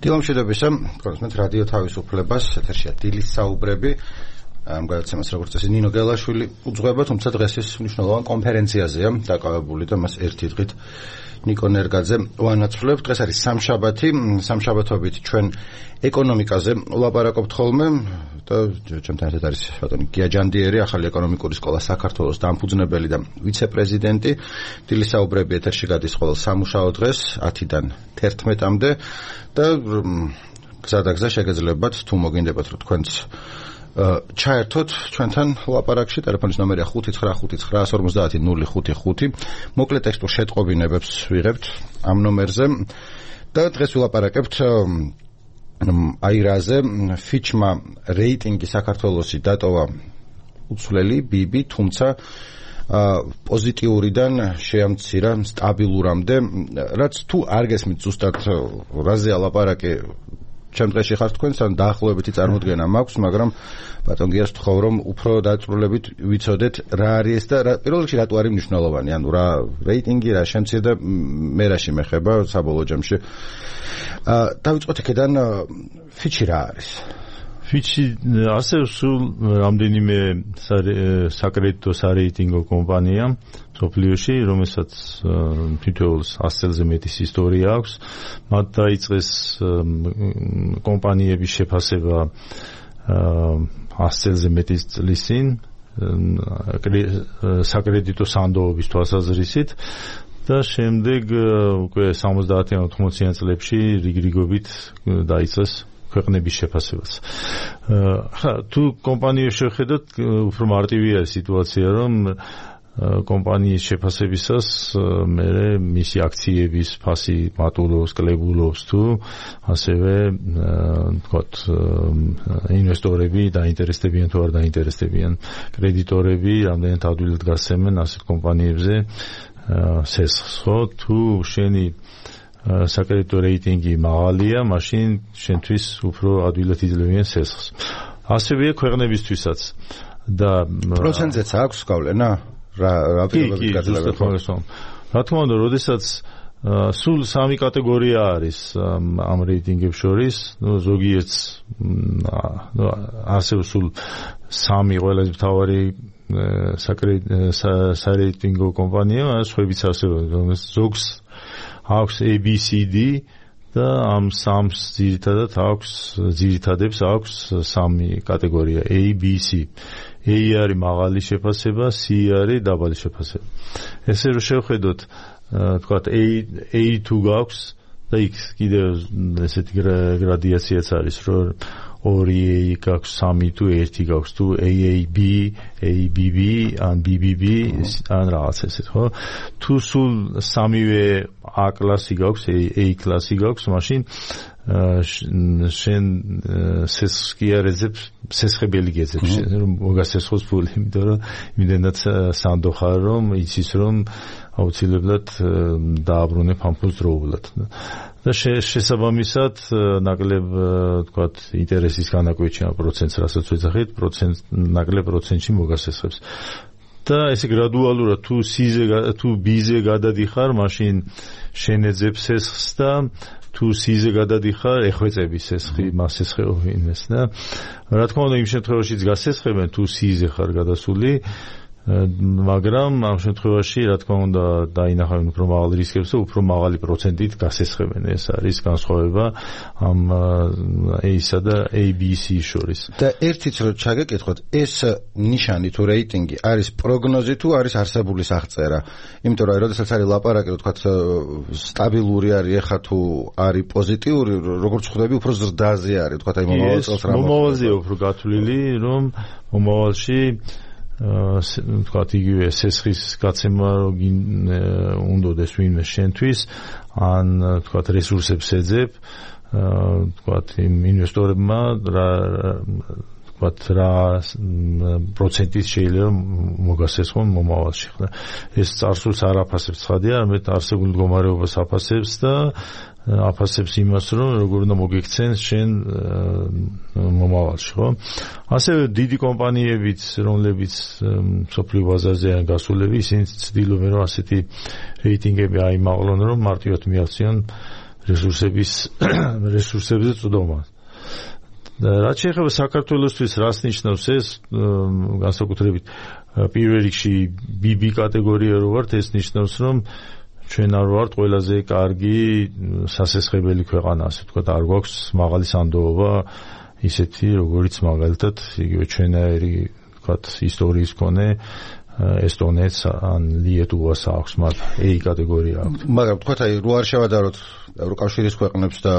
დილამშვიდობისა, კონსმეთ რადიო თავისუფლებას, ეთერშია დილის საუბრები. ამ გადაცემას როგორც წესი ნინო გელაშვილი უძღვება, თუმცა დღეს ის მნიშვნელოვან კონფერენციაზეა დაკავებული და მას ერთი დღით ნიკო ნერგაძე ვანაცვლებთ. დღეს არის სამშაბათი, სამშაბათობით ჩვენ ეკონომიკაზე ვლაპარაკობთ ხოლმე და ჩემთან ერთად არის ბატონი გია ჯანდიერი, ახალი ეკონომიკური სკოლა საქართველოს დამფუძნებელი და ვიცე-პრეზიდენტი. დილის საუბრები ეთერში გადის ყოველ სამუშაო დღეს 10-დან 11-მდე და გზადაგზა შეგეძლებათ თუ მოგინდებათ რომ თქვენც ჩაერთოთ ჩვენთან ლაპარაკში. ტელეფონის ნომერია 599500555. მოკლე ტექსტურ შეტყობინებებს ვიღებთ ამ ნომერზე და დღეს ვილაპარაკებთ აირაზე. ფიჩმა რეიტინგი საქართველოსი დატოვა უცვლელი BB, თუმცა პოზიტიურიდან შეამცირა სტაბილურამდე, რაც თუ არ გესმით ზუსტად რაზეა ლაპარაკი ჩემ დღეში ხარ თქვენ, სამ დაახლოებითი წარმოდგენა მაქვს, მაგრამ ბატონ გიას ვთხოვ რომ უფრო დაწვრილებით ვიცოდეთ რა არის ეს და პირველ რიგში რატო არის მნიშვნელოვანი, ანუ რა რეიტინგი, რა შემცირდა, მე რა შემეხება საბოლოო ჯამში. დავიწყოთ აქედან, ფიჩი რა არის? ფიჩი ასე სულ რამდენიმე საკრედიტო სარეიტინგო კომპანია მსოფლიოში, რომელსაც თითოეულს 100 წელზე მეტის ისტორია აქვს. მათ დაიწყეს კომპანიების შეფასება 100 წელზე მეტის წლის წინ საკრედიტო სანდოობის თვალსაზრისით და შემდეგ უკვე 70-80 წლებში რიგრიგობით დაიწყეს ქვეყნების შეფასებას. თუ კომპანიებს შევხედოთ, უფრო მარტივია სიტუაცია, რომ კომპანიის შეფასებისას მე მისი აქციების ფასი მატულობს, კლებულობს თუ ასევე თქვათ ინვესტორები დაინტერესდებიან თუ არ დაინტერესდებიან, კრედიტორები რამდენად ადვილად გასცემენ ასეთ კომპანიებზე სესხს, ხო? თუ შენი საკრედიტო რეიტინგი მაღალია, მაშინ შენთვის უფრო ადვილად იძლევიან სესხს. ასევეა ქვეყნებისთვისაც და პროცენტზეც აქვს გავლენა? რა პირობებით გაძლევთ? რა თქმა უნდა, როდესაც სულ სამი კატეგორია არის ამ რეიტინგებს შორის, ზოგიერთს ასე სულ სამი ყველაზე მთავარი სარეიტინგო კომპანია, სხვაებიც ასევე, ზოგს აქვს ABCD და ამ სამს ძირითადებს აქვს სამი კატეგორია ABC. A არის მაღალი შეფასება, C არის დაბალი შეფასება. ესე რომ შევხედოთ, თქვათ A2 გაქვს და იქ კიდევ ესეთი გრადიაციაც არის, რომ 2A გაქვს, 3 თუ 1 გაქვს, თუ AAB, ABB, ან BBB, ან რაღაც ესეთ, ხო? თუ სულ სამივე A კლასი გაქვს, A კლასი გაქვს, მაშინ შენ სესხს კი არ ეძებს, სესხებელი გეძებს, რომ მოგასესხოს ფული, იმიტომ რომ იმდენად სანდო ხარ, რომ იცის რომ აუცილებლად დააბრუნებ ამ ფულს დროულად. და შესაბამისად ნაკლებ თქვათ ინტერესის განაკვეთში ამ პროცენტს, რასაც ვეძახით, ნაკლებ პროცენტში მოგასესხებს. და ესე გრადუალურად თუ B-ზე გადადიხარ, მაშინ შენეძებ სესხს და თუ C-ზე გადადიხარ, ეხვეწები სესხი, მას სესხეობინეს და რა თქმა უნდა იმ შემთხვევაშიც გასესხებენ თუ C-ზე ხარ გადასული, მაგრამ ამ შემთხვევაში რა თქმა უნდა დაინახავენ უფრო მაღალ რისკებს და უფრო მაღალი პროცენტით გასესხებენ. ეს არის განსხვავება ამ A-სა და ABC-ის შორის. და ერთიც რომ ჩაგეკითხოთ, ეს ნიშანი თუ რეიტინგი არის პროგნოზი თუ არის არსებული აღწერა? იმიტომ რომ როდესაც არის ლაპარაკი, თქვათ სტაბილური არის, ეხა თუ არის პოზიტიური, როგორც ხვდები, უფრო ზრდაზე არის, თქვათ აი მომავალ წელს რა მომავალზეა უფრო გათვლილი, რომ მომავალში თქვათ იგივე სესხის გაცემა უნდოდეს ვინმე შენთვის, ან თქვათ რესურსებს ეძებ, თქვათ იმ ინვესტორებმა რა პროცენტით შეიძლება მოგასესხონ მომავალში. ეს წარსულს არ აფასებს ცხადია, არამედ არსებულ მდგომარეობას აფასებს და აფასებს იმას, რომ როგორ უნდა მოგექცენ შენ მომავალში, ხო? ასევე დიდი კომპანიებიც, რომლებიც მსოფლიო ბაზარზეა გასულები, ისინი ცდილობენ, რომ ასეთი რეიტინგები აიმაღლონ, რომ მარტივად მიაღწიონ რესურსებზე წვდომას. რაც შეეხება საქართველოსთვის რას ნიშნავს ეს განსაკუთრებით პირველ რიგში BB კატეგორია რო ვართ ეს ნიშნავს რომ ჩვენ არ ვართ ყველაზე კარგი სასესხებელი ქვეყანა ასე ვთქვათ არ გვაქვს მაღალი სანდოობა ისეთი როგორიც მაგალითად იგივე ჩვენაერი ვთქვათ ისტორიის მქონე ესტონეთს ან ლიეტუვას აქვს მათ A კატეგორია აქვს მაგრამ ვთქვათ აი რო არ შევადაროთ ევროკავშირის ქვეყნებს და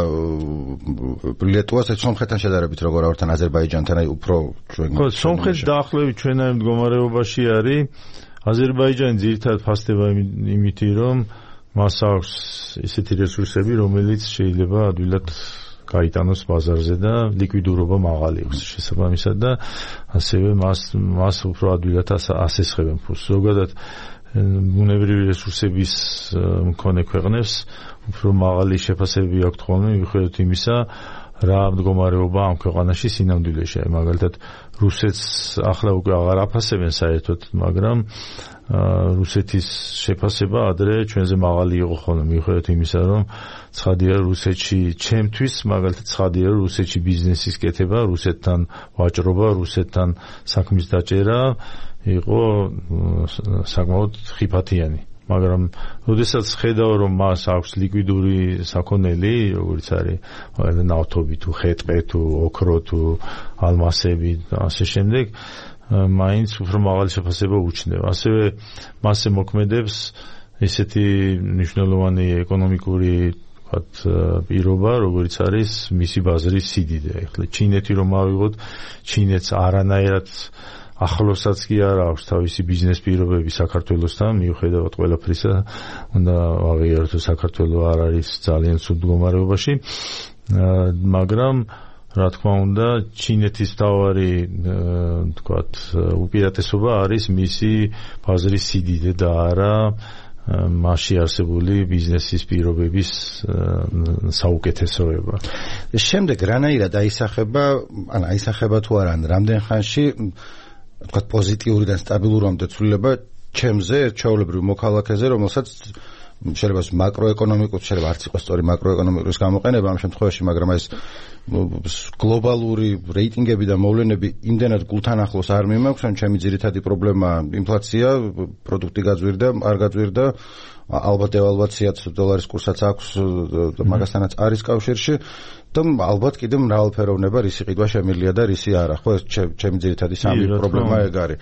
ლიეტუვას ეს სომხეთთან შედარებით როგორ ავართ ან აზერბაიჯანთან აი უფრო ჩვენ ხო სომხეთი დაახლოებით ჩვენაერ მდგომარეობაში არის აზერბაიჯანი ძირითადად ფასდება იმითი რომ მას აქვს ისეთი რესურსები რომელიც შეიძლება ადვილად გაიტანოს ბაზარზე და ლიკვიდურობა მაღალი აქვს შესაბამისად და ასევე მას უფრო ადვილად ასესხებენ ფულს ზოგადად ბუნებრივი რესურსების მქონე ქვეყნებს უფრო მაღალი შეფასებები აქვთ ხოლმე მიუხედავად იმისა რა მდგომარეობა ამ ქვეყანაში სინამდვილეში აი მაგალითად რუსეთს ახლა უკვე აღარ აფასებენ საერთოდ მაგრამ რუსეთის შეფასება ადრე ჩვენზე მაღალი იყო ხოლმე მიუხედავად იმისა რომ ცხადია რუსეთში ჩემთვის მაგალითად ცხადია რომ რუსეთში ბიზნესის კეთება რუსეთთან ვაჭრობა რუსეთთან საქმის დაჭერა იყო საკმაოდ ხიფათიანი მაგრამ როდესაც ხედავ რომ მას აქვს ლიკვიდური საქონელი როგორც არის მაგალითად ნავთობი თუ ხე-ტყე თუ ოქრო თუ ალმასები და ასე შემდეგ მაინც უფრო მაღალი შეფასება უჩნდება ასევე მასზე მოქმედებს ესეთი მნიშვნელოვანი ეკონომიკური პირობა როგორც არის მისი ბაზრის სიდიდე ახლა ჩინეთი რომ ავიღოთ ჩინეთს არანაირად ახლოსაც კი არ აქვს თავისი ბიზნეს პირობები საქართველოსთან მიუხედავად ყველაფრისა უნდა აღიაროთ რომ საქართველო არ არის ძალიან ცუდ მდგომარეობაში მაგრამ რა თქმა უნდა ჩინეთის თავარი თქვათ უპირატესობა არის მისი ბაზრის სიდიდე და არა მასში არსებული ბიზნესის პირობების საუკეთესოება. შემდეგ რანაირად აისახება თუ არა რამდენ ხანში თქვათ პოზიტიურიდან სტაბილურამდე ცვლილება ჩემზე ჩვეულებრივ მოქალაქეზე რომელსაც შეიძლება მაკროეკონომიკურ შეიძლება არც იყოს სწორი მაკროეკონომიკის გამოყენება ამ შემთხვევაში მაგრამ ეს გლობალური რეიტინგები და მოვლენები იმდენად გულთან ახლოს არ მიმაქვს ან ჩემი ძირითადი პრობლემა ინფლაცია პროდუქტი გაძვირდა არ გაძვირდა ალბათ დევალვაციაც დოლარის კურსაც აქვს მაგასთანაც არის კავშირში და ალბათ კიდევ მრავალფეროვნება რისი ყიდვა შემილია და რისი არა ხო ეს ჩემი ძირითადი სამი პრობლემა ეგ არის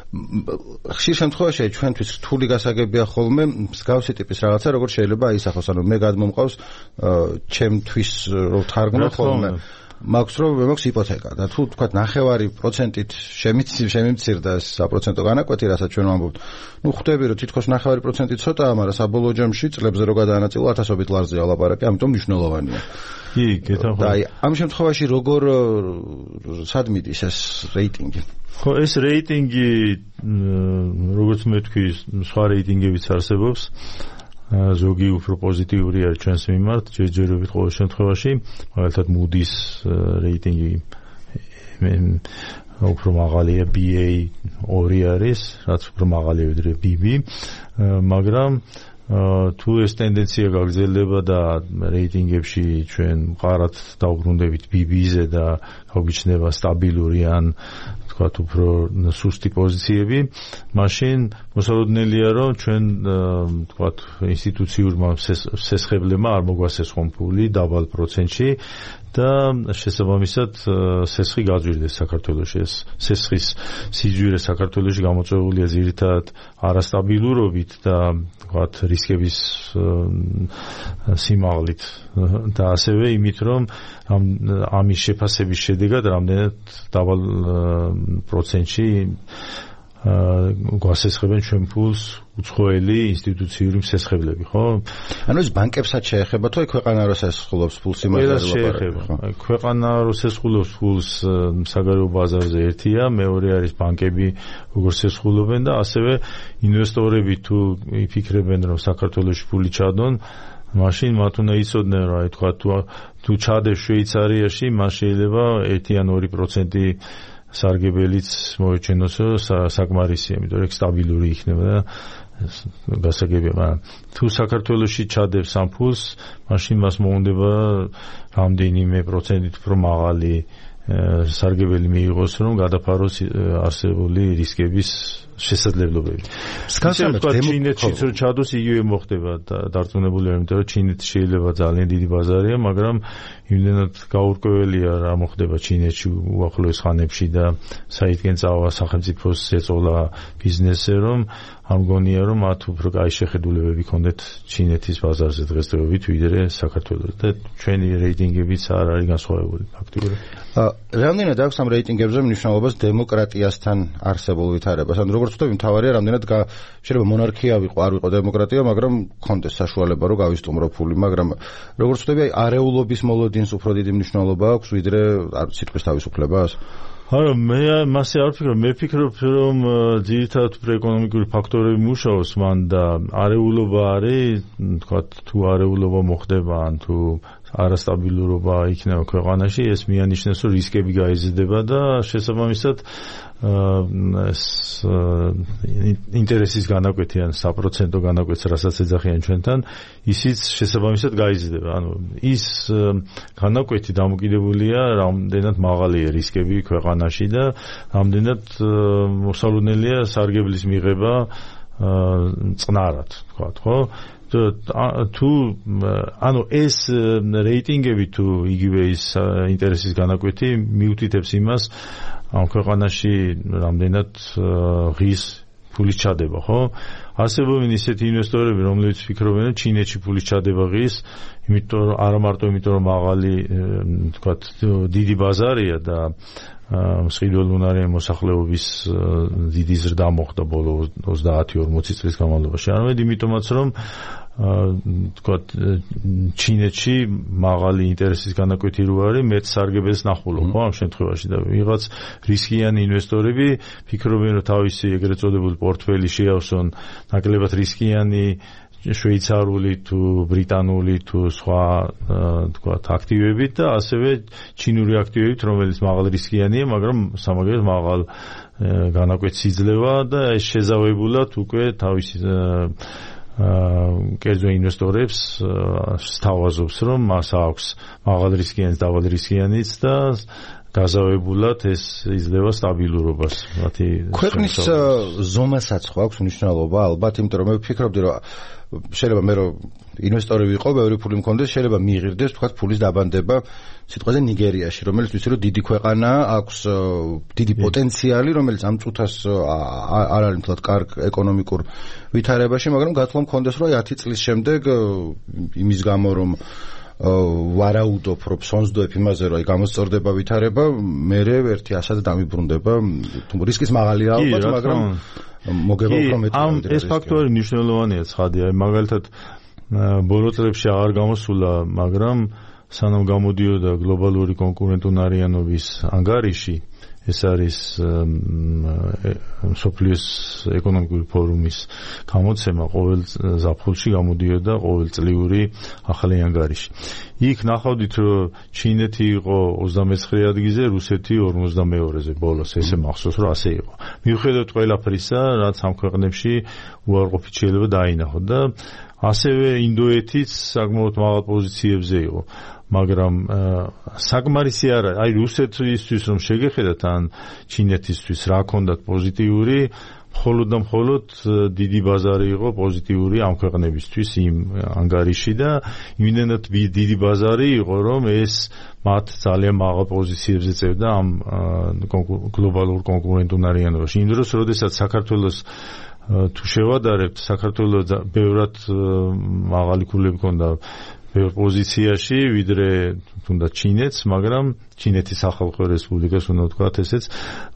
ხშირ შემთხვევაში ჩვენთვის რთული გასაგებია ხოლმე მსგავსი ტიპის რაღაცა როგორ შეიძლება აისახოს ანუ მე გადმომყავს ჩემთვის რო თარგმნო ხოლმე მაქვს რომ მექვს იპოთეკა და თუ თქვა 9%-ით შემიმცირდა საპროცენტო განაკვეთი რასაც ჩვენ ვამბობთ ნუ ხვდები რომ თითქოს 9% ცოტაა მაგრამ საბოლოო ჯამში წლებზე რო გადაანაწილო ათასობით ლარზეა ლაპარაკი ამიტომ მნიშვნელოვანია კი გეთახო და ამ შემთხვევაში როგორ სად მიდის ეს რეიტინგი ხო ეს რეიტინგი როგორც მე თქვი სხვა რეიტინგებიც არსებობს ზოგი უფრო პოზიტიური არის ჩვენს მიმართ ჯერჯერობით ყოველ შემთხვევაში მაგალითად Moody's რეიტინგი უფრო მაღალია BA2 არის რაც უფრო მაღალია ვიდრე BB მაგრამ თუ ეს ტენდენცია გაგრძელდება და რეიტინგებში ჩვენ მყარად დავბრუნდებით BB-ზე და გავგიჩნდება სტაბილური ან თქვათ უფრო სუსტი პოზიციები, მაშინ მოსალოდნელია რომ ჩვენ თქვათ ინსტიტუციურმა სესხებლებმა არ მოგვასესხონ ფული დაბალ პროცენტში და შესაბამისად სესხი გაძვირდეს საქართველოში. ეს სესხის სიძვირე საქართველოში გამოწვეულია ძირითადად არასტაბილურობით და თქვათ რისკების სიმაღლით და ასევე იმით რომ ამის შეფასების შედეგად რამდენად დაბალ პროცენტში გვასესხებენ ჩვენ ფულს უცხოელი ინსტიტუციური მსესხებლები, ხო? ანუ ეს ბანკებსაც შეეხება თუ აი ქვეყანა რო სესხულობს ფულს იმაზე შეეხება. ქვეყანა რო სესხულობს ფულს საგარეო ბაზარზე ერთია, მეორე არის ბანკები როგორ სესხულობენ და ასევე ინვესტორები თუ იფიქრებენ რომ საქართველოში ფული ჩადონ მაშინ მათ უნდა იცოდნენ რა თქვა თუ ჩადებს შვეიცარიაში მას შეიძლება 1 ან 2% სარგებელიც მოეჩენოსო საკმარისია, იმიტომ რომ სტაბილური იქნება და გასაგებია. თუ საქართველოში ჩადებს ამ ფულს, მაშინ მას მოუნდება რამდენიმე პროცენტით უფრო მაღალი სარგებელი მიიღოს, რომ გადაფაროს არსებული რისკების შესაძლებლობები. ჩინეთშიც რო ჩადოს, იგივე მოხდება დარწმუნებულია, იმიტომ რომ ჩინეთი შეიძლება ძალიან დიდი ბაზარია, მაგრამ იმდენად გაურკვეველია რა მოხდება ჩინეთში უახლოეს ხანებში და საიდგენ წავა სახელმწიფოს ეწოლა ბიზნესზე, რომ ამ გონია, რომ მათ უფრო კაი შეხედულებები ქონდეთ ჩინეთის ბაზარზე დღესდღეობით, ვიდრე საქართველოს და ჩვენი რეიტინგებიც არ არის განსხვავებული ფაქტობრივად. რამდენად აქვს ამ რეიტინგებზე მნიშვნელობას დემოკრატიასთან არსებულ ვითარებას? ან როგორც ვთქვი, მთავარია რამდენად შეიძლება მონარქია ვიყო, არ ვიყო დემოკრატია, მაგრამ ქონდეს საშუალება, რომ გავისტუმრო ფული, მაგრამ როგორც ვთქვი, არეულობის მოლოდინს უფრო დიდი მნიშვნელობა აქვს, ვიდრე სიტყვის თავისუფლებას? არა, მე მასე არ ვფიქრობ, მე ვფიქრობ, რომ ძირითადად ეკონომიკური ფაქტორები მუშაობს მან და არეულობა არის, თქვა თუ არეულობა მოხდება, ან თუ არასტაბილურობა იქნება ქვეყანაში, ეს მიანიშნებს, რომ რისკები გაიზრდება და შესაბამისად ინტერესის განაკვეთი ან საპროცენტო განაკვეთს, რასაც ეძახიან ჩვენთან, ისიც შესაბამისად გაიზრდება. ანუ ის განაკვეთი დამოკიდებულია რამდენად მაღალია რისკები ქვეყანაში და რამდენად მოსალოდნელია სარგებლის მიღება წყნარად, თქვა, ხო? თუ ანუ ეს რეიტინგები თუ იგივე ის ინტერესის განაკვეთი მიუთითებს იმას, ამ ქვეყანაში რამდენად ღირს ფულის ჩადება, ხო? არსებობენ ისეთი ინვესტორები, რომლებიც ფიქრობენ, რომ ჩინეთში ფულის ჩადება ღირს, იმიტომ რომ არა მარტო იმიტომ რომ მაღალი, თქვათ, დიდი ბაზარია და მსყიდველუნარიანი მოსახლეობის დიდი ზრდა მოხდა ბოლო 30-40 წლის განმავლობაში. არამედ იმიტომაც, რომ თქვათ, ჩინეთში მაღალი ინტერესის განაკვეთი რო არის, მეტ სარგებელს ნახულობ, ხო, ამ შემთხვევაში და ვიღაც რისკიანი ინვესტორები ფიქრობენ, რომ თავისი ეგრეთ წოდებული პორტფელი შეავსონ ნაკლებად რისკიანი შვეიცარიული თუ ბრიტანული თუ სხვა თქვათ აქტივებით და ასევე ჩინური აქტივებით, რომელიც მაღალ რისკიანია, მაგრამ სამაგერად მაღალ განაკვეთს იძლევა და ეს შეზავებულად უკვე თავისი კერძო ინვესტორებს სთავაზობს, რომ მას აქვს მაღალ რისკიანიც, დაბალ რისკიანიც და გაზავებულად ეს იძლევა სტაბილურობას. ქვეყნის ზომასაც ხო აქვს მნიშვნელობა ალბათ, იმიტომ რომ მე ვფიქრობდი, რომ შეიძლება მე რომ ინვესტორი ვიყო, ბევრი ფული მქონდეს, შეიძლება მიიღირდეს, თქვათ, ფულის დაბანდება სიტყვაზე ნიგერიაში, რომელიც ვიცი, რომ დიდი ქვეყანაა, აქვს დიდი პოტენციალი, რომელიც ამ წუთას არ არის მთლად კარგ ეკონომიკურ ვითარებაში, მაგრამ გათხოვა მქონდეს, რომ 10 წლის შემდეგ იმის გამო, რომ ვარაუდობ, რომ სონძდოებ იმაზე, რომ გამოსწორდება ვითარება, მე ერთი ასად დამიბრუნდება, რისკის მაღალია ალბათ, მაგრამ მოგება უფრო მეტი. ეს ფაქტორი მნიშვნელოვანია, ცხადია. მაგალითად, ბოლო წლებში აღარ გამოსულა, მაგრამ სანამ გამოდიოდა გლობალური კონკურენტუნარიანობის ანგარიში, ეს არის მსოფლიოს ეკონომიკური ფორუმის გამოცემა, ყოველ ზაფხულში გამოდიოდა ყოველწლიური ახალი ანგარიში. იქ ნახავდით, რომ ჩინეთი იყო 29 ადგილზე, რუსეთი 52-ზე ბოლოს, ესე მახსოვს, რომ ასე იყო. მიუხედავად ყველაფრისა, რაც ამ ქვეყნებში უარყოფით შეიძლება დაინახო და ასევე ინდოეთიც საკმაოდ მაღალ პოზიციებზე იყო. მაგრამ საკმარისი არა, აი რუსეთისთვის რომ შეგეხედათ ან ჩინეთისთვის რა ქონდათ პოზიტიური, მხოლოდ და მხოლოდ დიდი ბაზარი იყო პოზიტიური ამ ქვეყნებისთვის იმ ანგარიში და იმდენად დიდი ბაზარი იყო, რომ ეს მათ ძალიან მაღალ პოზიციებზე წევდა ამ გლობალურ კონკურენტუნარიანობაში. იმ დროს, როდესაც საქართველოს თუ შევადარებთ, საქართველოს ბევრად მაღალი ქულები ჰქონდა ბევრ პოზიციაში, ვიდრე თუნდაც ჩინეთს, მაგრამ ჩინეთის სახალხო რესპუბლიკას უნდა ვთქვათ ესეც,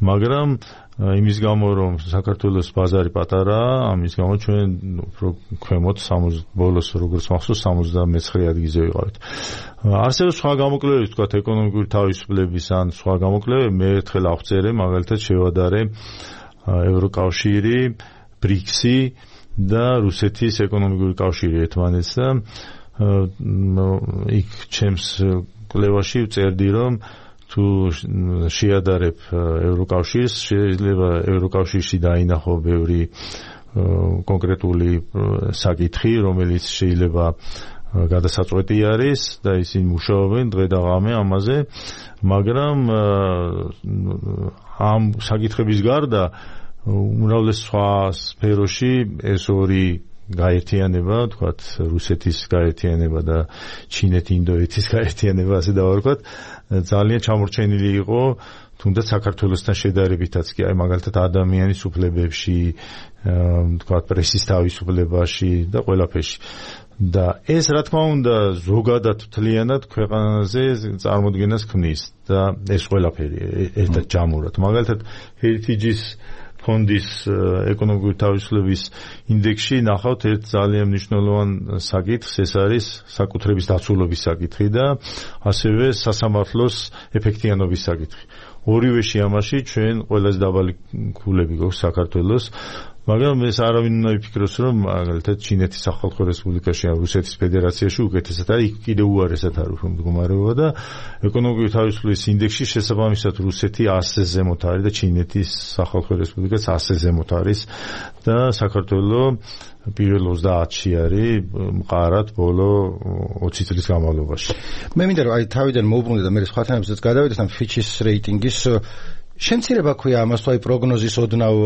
მაგრამ იმის გამო, რომ საქართველოს ბაზარი პატარაა, ამის გამო ჩვენ უფრო ქვემოთ ბოლოს როგორც მახსოვს 79 ადგილზე ვიყავით. არსებობს სხვა გამოკვლევები, ვთქვათ, ეკონომიკური თავისუფლების ან სხვა გამოკვლევები, მე ერთხელ ავწერე, მაგალითად შევადარე ევროკავშირი, ბრიქსი და რუსეთის ეკონომიკური კავშირი ერთმანეთს და იქ ჩემს კვლევაში ვწერდი, რომ თუ შეადარებ ევროკავშირს, შეიძლება ევროკავშირში დაინახო ბევრი კონკრეტული საკითხი, რომელიც შეიძლება გადასაწყვეტი არის და ისინი მუშაობენ დღე და ღამე ამაზე, მაგრამ ამ საკითხების გარდა უმრავლეს სხვა სფეროში ეს ორი გაერთიანება, თქვათ რუსეთის გაერთიანება და ჩინეთ-ინდოეთის გაერთიანება, ასე დავარქვათ, ძალიან ჩამორჩენილი იყო, თუნდაც საქართველოსთან შედარებითაც კი, აი მაგალითად ადამიანის უფლებებში, თქვათ პრესის თავისუფლებაში და ყველაფერში. და ეს რა თქმა უნდა ზოგადად მთლიანად ქვეყანაზე წარმოდგენას ქმნის და ეს ყველაფერი ერთად ჯამურად. მაგალითად Heritage-ის ფონდის ეკონომიკური თავისუფლების ინდექსში ნახავთ ერთ ძალიან მნიშვნელოვან საკითხს, ეს არის საკუთრების დაცულობის საკითხი და ასევე სასამართლოს ეფექტიანობის საკითხი. ორივეში ამაში ჩვენ ყველაზე დაბალი ქულები გვაქვს საქართველოს, მაგრამ ეს არავინ უნდა იფიქროს, რომ მაგალითად ჩინეთის სახალხო რესპუბლიკაში ან რუსეთის ფედერაციაში უკეთესად არის, იქ კიდევ უარესად არის მდგომარეობა და ეკონომიკური თავისუფლების ინდექსში შესაბამისად რუსეთი 100-ზე ზემოთ არის და ჩინეთის სახალხო რესპუბლიკაც 100-ზე ზემოთ არის და საქართველოს პირველ 30-ში არის მყარად ბოლო 20 წლის განმავლობაში. მე მინდა რომ აი თავიდან მოვუბრუნდე და მე სხვა თემებზეც გადავიდეთ ამ Fitch-ის რეიტინგის შემცირება ქვია ამას თუ აი პროგნოზის ოდნავ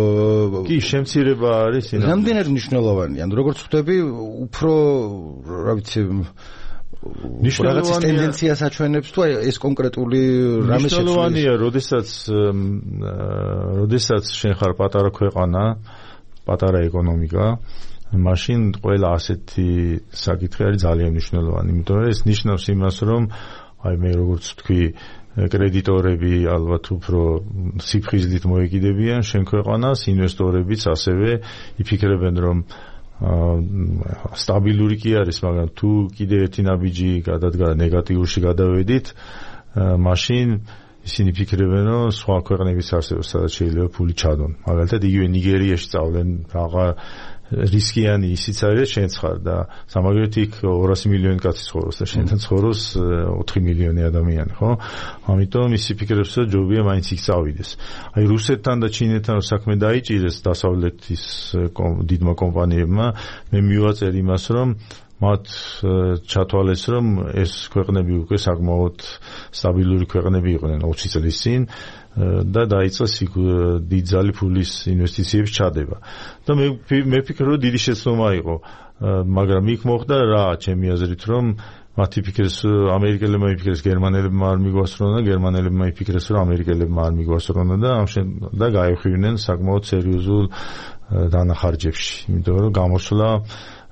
კი შემცირება არის რამდენად მნიშვნელოვანია ანუ როგორც ხვდები უფრო რა ვიცი რაღაც ტენდენციას აჩვენებს თუ აი ეს კონკრეტული რამე მნიშვნელოვანია როდესაც შენ ხარ პატარა ქვეყანა პატარა ეკონომიკა მაშინ ყველა ასეთი საკითხი არის ძალიან მნიშვნელოვანი იმიტომ რომ ეს ნიშნავს იმას რომ აი მე როგორც ვთქვი კრედიტორები ალბათ უფრო სიფხიზლით მოეკიდებიან შენ ქვეყანას, ინვესტორებიც ასევე იფიქრებენ რომ სტაბილური კი არის, მაგრამ თუ კიდე ერთი ნაბიჯი გადადგა ნეგატიურში გადავედით, მაშინ ისინი ფიქრებენ რომ სხვა ქვეყნების არსებობს, სადაც შეიძლება ფული ჩადონ. მაგალითად იგივე ნიგერიაში წავლენ რაღა რისკიანი ისიც არის შენც ხარ და სამაგერით იქ 200 მილიონი კაცი ცხოვრობს და შენთან ცხოვრობს 4 მილიონი ადამიანი, ხო? ამიტომ ისი ფიქრებს რომ ჯობია მაინც იქ წავიდეს. აი რუსეთთან და ჩინეთთან საქმე დაიჭირეს დასავლეთის დიდმა კომპანიებმა, მე მივაწერ იმას რომ მათ ჩათვალეს რომ ეს ქვეყნები უკვე საკმაოდ სტაბილური ქვეყნები იყვნენ 20 წლის წინ და დაიწყეს დიდძალი ფულის ინვესტიციების ჩადება. და მე ვფიქრობ რომ დიდი შეცდომა იყო, მაგრამ იქ მოხდა რა, ჩემი აზრით რომ მათი ფიქრეს ამერიკელებმა იფიქრეს გერმანელებმა არ მიგვასწრონა და გერმანელებმა იფიქრეს რომ ამერიკელებმა არ მიგვასწრონა და გაიხივნენ საკმაოდ სერიოზულ დანახარჯებში, იმიტომ რომ გამოსვლა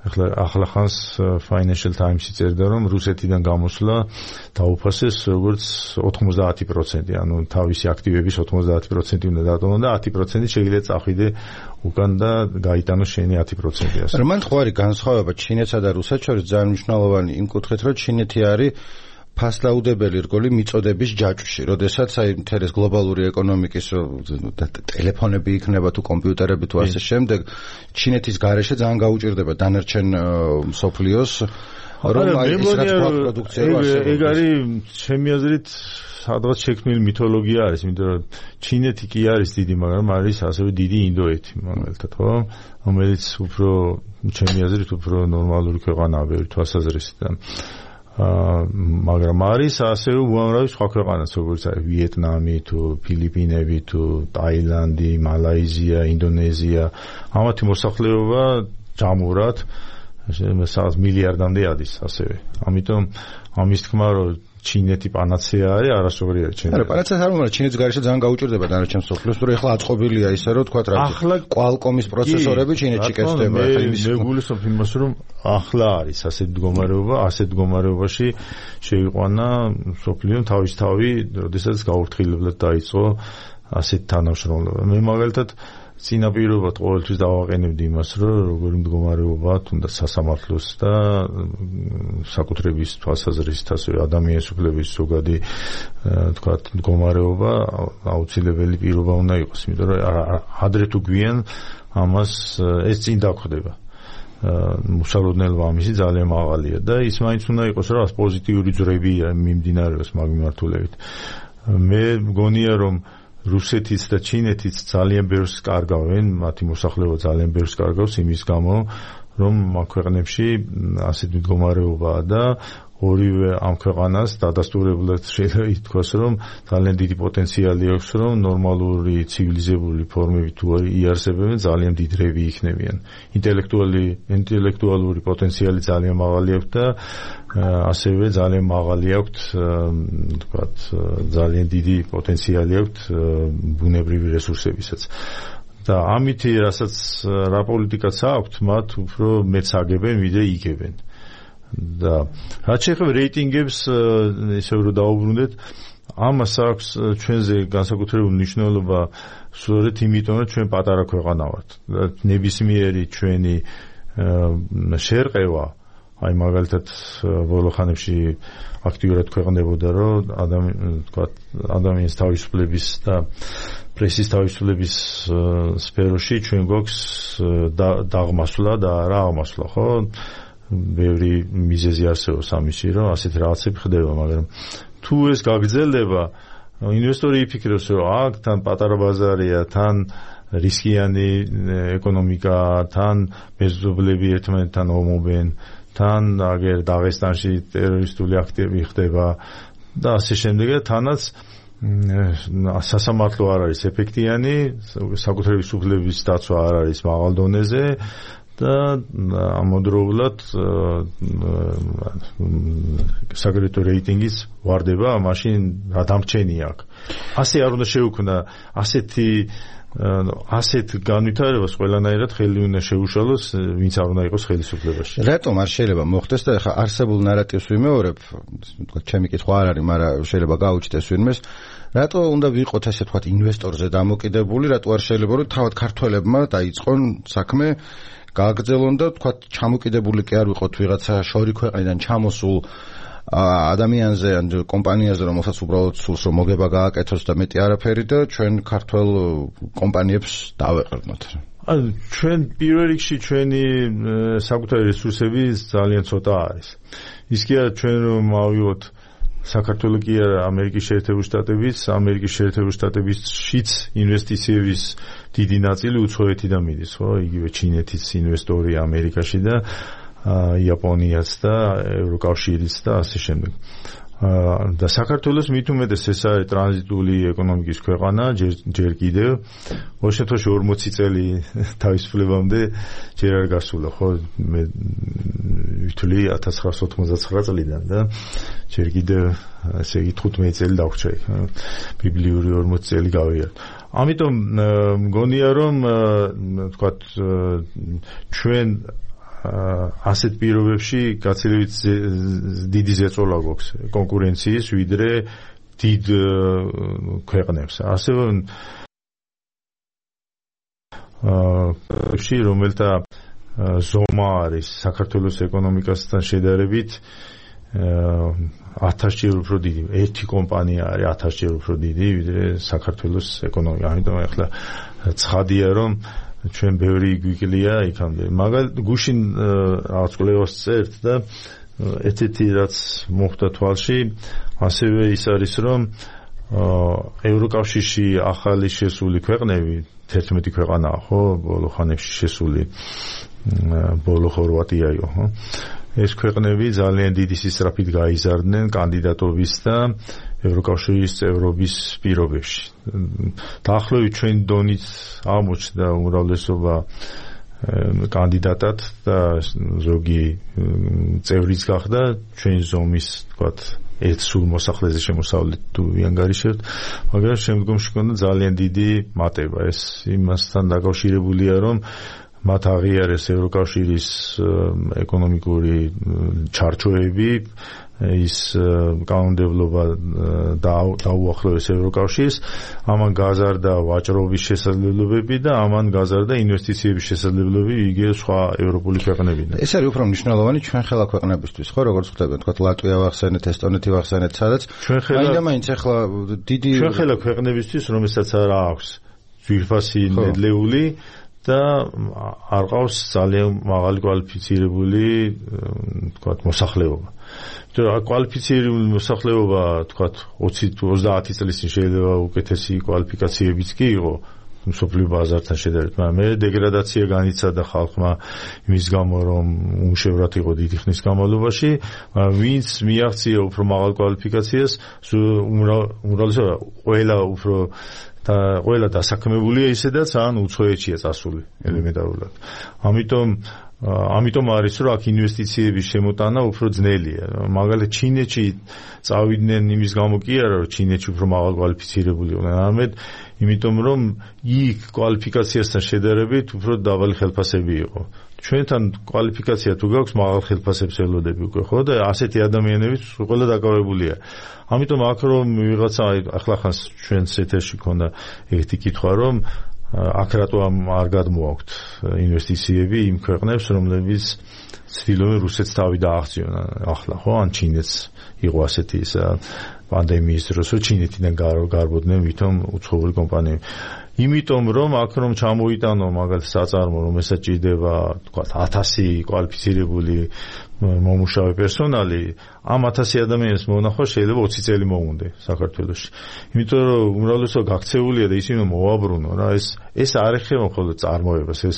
ახლახანს Financial Times-ი წერდა რომ რუსეთიდან გამოსვლა დაუფასეს როგორც 90%, ანუ თავისი აქტივების 90% უნდა დატოვონ და 10% შეიძლება წახვიდე უკან და გაიტანოს შენი 10%. რომან ხო არის განსხვავება ჩინეთსა და რუსეთს შორის ძალიან მნიშვნელოვანი იმ კუთხით რომ ჩინეთი არის ფასდაუდებელი რგოლი მიწოდების ჯაჭვში, როდესაც აი მთელი გლობალური ეკონომიკის ტელეფონები იქნება თუ კომპიუტერები თუ ასე შემდეგ, ჩინეთის გარეშე ძალიან გაუჭირდება დანარჩენ მსოფლიოს, რომ აი ეს რაც პროდუქცია ასე. ეგ არის ჩემი აზრით სადღაც შექმნილი მითოლოგია არის, იმიტომ რომ ჩინეთი კი არის დიდი, მაგრამ არის ასევე დიდი ინდოეთი, მაგალითად, ხო? რომელიც უფრო ჩემი აზრით უფრო ნორმალური ქვეყანაა ბევრი თვალსაზრისით. მაგრამ არის ასევე უამრავი სხვა ქვეყანაც, როგორც არის ვიეტნამი თუ ფილიპინები თუ ტაილანდი, მალაიზია, ინდონეზია, ამათი მოსახლეობა ჯამურად სადღაც მილიარდამდე ადის ასევე. ამიტომ ამის თქმა რომ ჩინეთი პანაცეა არის, არასორი არის ჩინეთი. არა, პანაცეა არ მომარ, ჩინეთის გარეშე ძალიან გაუჭირდება დანარჩენ მსოფლიოს, რომ ეხლა აწყობილია ისე რომ თქვა რა. ახლა Qualcomm-ის პროცესორები ჩინეთში კეთდება, ახლა მე გულისხმობ იმას, რომ ახლა არის ასეთ მდგომარეობაში შეიყვანა მსოფლიო თავისთავი, როდესაც გაურთხილებლად დაიწყო ასეთ თანამშრომლობა. მე მაგალითად წინაპირობად ყოველთვის დავაყენებდი იმას, რომ როგორი მდგომარეობა თუნდაც სასამართლოს და საკუთრების თვალსაზრისით ასევე ადამიანის უფლების ზოგადი თქვათ მდგომარეობა აუცილებელი პირობა უნდა იყოს, იმიტომ რომ ადრე თუ გვიან ამას ეს წინ დაგხვდება. მუშაობნელობა ამისი ძალიან მაღალია და ის მაინც უნდა იყოს რომ პოზიტიური ძრები მიმდინარეობს მაგ მიმართულებით. მე მგონია რომ რუსეთიც და ჩინეთიც ძალიან ბევრს კარგავენ, მათი მოსახლეობა ძალიან ბევრს კარგავს იმის გამო, რომ ამ ქვეყნებში ასეთ მდგომარეობაა და ორივე ამ ქვეყანას დადასტურებულად შეიძლება ითქვას, რომ ძალიან დიდი პოტენციალი აქვს, რომ ნორმალური ცივილიზებული ფორმები თუ იარსებებენ, ძალიან დიდ რევი იქნებიან. ინტელექტუალური პოტენციალი ძალიან მაღალი აქვს და ასევე ძალიან მაღალი აქვს, თქვათ, ძალიან დიდი პოტენციალი აქვს ბუნებრივი რესურსებისაც. და ამით რა პოლიტიკაც აქვთ, მათ უფრო მეც აგებენ, ვიდრე იგებენ. და რაც შეეხება რეიტინგებს, ისევ რომ დაუბრუნდეთ, ამას აქვს ჩვენზე განსაკუთრებული მნიშვნელობა სწორედ იმიტომ, რომ ჩვენ პატარა ქვეყანა ვართ. ნებისმიერი ჩვენი შერყევა, აი მაგალითად ბოლო ხანებში აქტიურად ქვეყნდებოდა, რომ ადამიანის თავისუფლების და პრესის თავისუფლების სფეროში ჩვენ გვაქვს დაღმასვლა და არა აღმასვლა, ხო? ბევრი მიზეზი არსებობს ამისი, რომ ასეთი რაღაცები ხდება, მაგრამ თუ ეს გაგრძელდება, ინვესტორი იფიქრებს, რომ აქ თან პატარა ბაზარია, თან რისკიანი ეკონომიკა, თან მეზობლები ერთმანეთთან ომობენ, თან აგერ დაღესტანში ტერორისტული აქტები ხდება და ასე შემდეგ, თანაც სასამართლო არ არის ეფექტიანი, საკუთრების უფლების დაცვა არ არის მაღალ დონეზე და ამავდროულად საგრეთო რეიტინგის ვარდება, მაშინ რა დამრჩენია აქ. ასე არ უნდა შეუქმნა ასეთ განვითარებას ყველანაირად ხელი უნდა შეუშალოს, ვინც არ უნდა იყოს ხელისუფლებაში. რატომ არ შეიძლება მოხდეს და ეხლა არსებულ ნარატივს ვიმეორებ, ჩემი კითხვა არ არის, მაგრამ შეიძლება გაუჩნდეს ვინმეს, რატო უნდა ვიყოთ ესე თქვა ინვესტორზე დამოკიდებული, რატო არ შეიძლება რომ თავად ქართველებმა დაიწყონ საქმე, გააგრძელონ და თქვა ჩამოკიდებული კი არ ვიყოთ ვიღაცა შორი ქვეყნიდან ჩამოსულ ადამიანზე ან კომპანიაზე, რომელსაც უბრალოდ სულს რომ მოგება გააკეთოს და მეტი არაფერი და ჩვენ ქართველ კომპანიებს დავეყრდნოთ. ჩვენ პირველ რიგში ჩვენი საკუთარი რესურსები ძალიან ცოტა არის. ის კი არა ჩვენ რომ ავიღოთ საქართველოს კი არა ამერიკის შეერთებული შტატებისშიც ინვესტიციების დიდი ნაწილი უცხოეთიდან მიდის, ხო? იგივე ჩინეთის ინვესტორი ამერიკაში და იაპონიაც და ევროკავშირიც და ასე შემდეგ. და საქართველოს მით უმეტეს ეს არის ტრანზიტული ეკონომიკის ქვეყანა, ჯერ კიდევ. ოღონდ შემთხვევაში 40 წელი თავისუფლებამდე ჯერ არ გასულა, ხო? მე ვთვლი 1989 წლიდან და ჯერ კიდევ ესე იგი 15 წელი დავრჩა იქ. ბიბლიური 40 წელი გავიარეთ. ამიტომ მგონია რომ თქვათ ჩვენ ასეთ პირობებში გაცილებით დიდი ზეწოლა გვაქვს კონკურენციის ვიდრე დიდ ქვეყნებს. ასევე რომელთა ზომა არის საქართველოს ეკონომიკასთან შედარებით 1000-ჯერ უფრო დიდი. ერთი კომპანია არის 1000-ჯერ უფრო დიდი ვიდრე საქართველოს ეკონომიკა. ამიტომ ახლა ცხადია რომ ჩვენ ბევრი გვიკლია იქამდე. მაგალითად გუშინ რაღაც კვლევას წერთ და ერთ-ერთი რაც მოხდა თვალში, ასევე ის არის რომ ევროკავშირში ახალი შესული ქვეყნები 11 ქვეყანაა, ხო, ბოლო ხანებში შესული, ბოლო ხორვატიაო, ხო? ეს ქვეყნები ძალიან დიდი სისწრაფით გაიზარდნენ კანდიდატობის და ევროკავშირის წევრობის პირობებში. დაახლოებით ჩვენი დონით აღმოჩნდა უმრავლესობა კანდიდატად და ზოგი წევრიც გახდა ჩვენი ზომის, თქვათ, ერთ სულ მოსახლეზე შემოსავლით თუ ვიანგარიშებთ, მაგრამ შემდგომში ჰქონდა ძალიან დიდი მატება. ეს იმასთან დაკავშირებულია, რომ მათ აღიარეს ევროკავშირის ეკონომიკური ჩარჩოები, ის კანონმდებლობა დაუახლოვეს ევროკავშირს, ამან გაზარდა ვაჭრობის შესაძლებლობები და ამან გაზარდა ინვესტიციების შესაძლებლობები იგივე სხვა ევროპული ქვეყნებიდან. ეს არის უფრო მნიშვნელოვანი ჩვენ ხელა ქვეყნებისთვის, ხო, როგორც ხვდებით, თქვა ლატვია ვახსენეთ, ესტონეთი ვახსენეთ, სადაც მაინც ახლა დიდი ჩვენ ხელა ქვეყნებისთვის, რომელსაც არ აქვს ძვირფასი ნედლეული და არ ყავს ძალიან მაღალი კვალიფიცირებული თქვათ მოსახლეობა. კვალიფიცირებული მოსახლეობა თქვათ 20-30 წლის წინ შეიძლება უკეთესი კვალიფიკაციებიც კი იყო მსოფლიო ბაზართან შედარებით, მაგრამ მე დეგრადაცია განიცადა ხალხმა იმის გამო, რომ უშევრად იყო დიდი ხნის განმავლობაში, ვინც მიაღწია უფრო მაღალ კვალიფიკაციას, უმრავლესობა ყველა დასაქმებულია ისედაც ან უცხოეთშია წასული ელემენტარულად. ამიტომ არის რომ აქ ინვესტიციების შემოტანა უფრო ძნელია. მაგალითად ჩინეთში წავიდნენ იმის გამო კი არა რომ ჩინეთში უფრო მაღალ კვალიფიცირებული იყვნენ, არამედ იმიტომ რომ იქ კვალიფიკაციასთან შედარებით უფრო დაბალი ხელფასები იყო. ჩვენთან კვალიფიკაცია თუ გაქვს მაღალ ხელფასებს ელოდები უკვე ხო და ასეთი ადამიანებიც ყველა დაკავებულია. ამიტომ აქ რომ ვიღაცა ახლა ხანს ჩვენს ეთერში ქონდა ერთი კითხვა რომ აქ რატო არ გადმოაქვთ ინვესტიციები იმ ქვეყნებს რომლებიც ცდილობენ რუსეთს თავი დააღწიონ ახლა ხო ან ჩინეთს იყო ასეთი პანდემიის დროს რომ ჩინეთიდან გარბოდნენ ვითომ უცხოური კომპანიები. იმიტომ რომ აქ რომ ჩამოიტანო მაგალითად საწარმო რომ ესაჭირდება თქვათ 1000 კვალიფიცირებული მომუშავე პერსონალი ამ 1000 ადამიანის მონახვა შეიძლება 20 წელი მოუნდე საქართველოში. იმიტომ რომ უმრავლესობა გაქცეულია და ისინი მოაბრუნო რა ეს არ ეხება მხოლოდ წარმოებას, ეს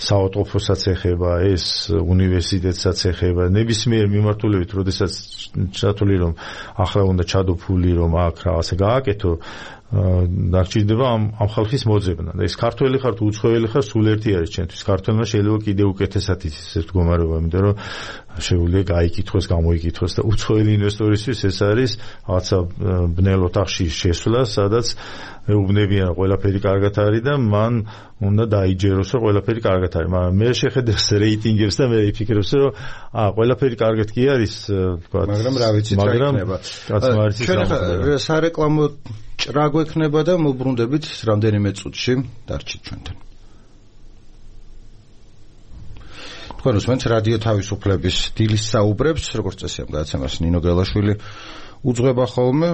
საავადმყოფოსაც ეხება, ეს უნივერსიტეტსაც ეხება, ნებისმიერ მიმართულებით, როდესაც ჩათვლი რომ ახლა უნდა ჩადო ფული რომ აქ რაღაცა გააკეთო დაგჭირდება ამ ხალხის მოძებნა და ეს ქართველი ხარ თუ უცხოელი ხარ სულ ერთი არის ჩვენთვის. ქართველმა შეიძლება კიდევ უკეთესად იცის ეს მდგომარეობა, იმიტომ რომ შეუძლია გაიკითხოს, გამოიკითხოს და უცხოელი ინვესტორისთვის ეს არის რაღაცა ბნელ ოთახში შესვლა, სადაც ეუბნებიან ყველაფერი კარგად არის და მან უნდა დაიჯეროს რომ ყველაფერი კარგად არის. მაგრამ მე შეხედავს რეიტინგებს და მე ვიფიქრებს რომ ყველაფერი კარგად კი არის თქვა, მაგრამ რა ვიცით რა იქნება. ჩვენ სარეკლამო ჭრა გვექნება და მოbrunდებით რამდენიმე წუთში დარჩით ჩვენთან. თქვენ უსმენთ რადიო თავისუფლების დილის საუბრებს, როგორც წესი ამ გადაცემას ნინო გელაშვილი უძღვება ხოლმე,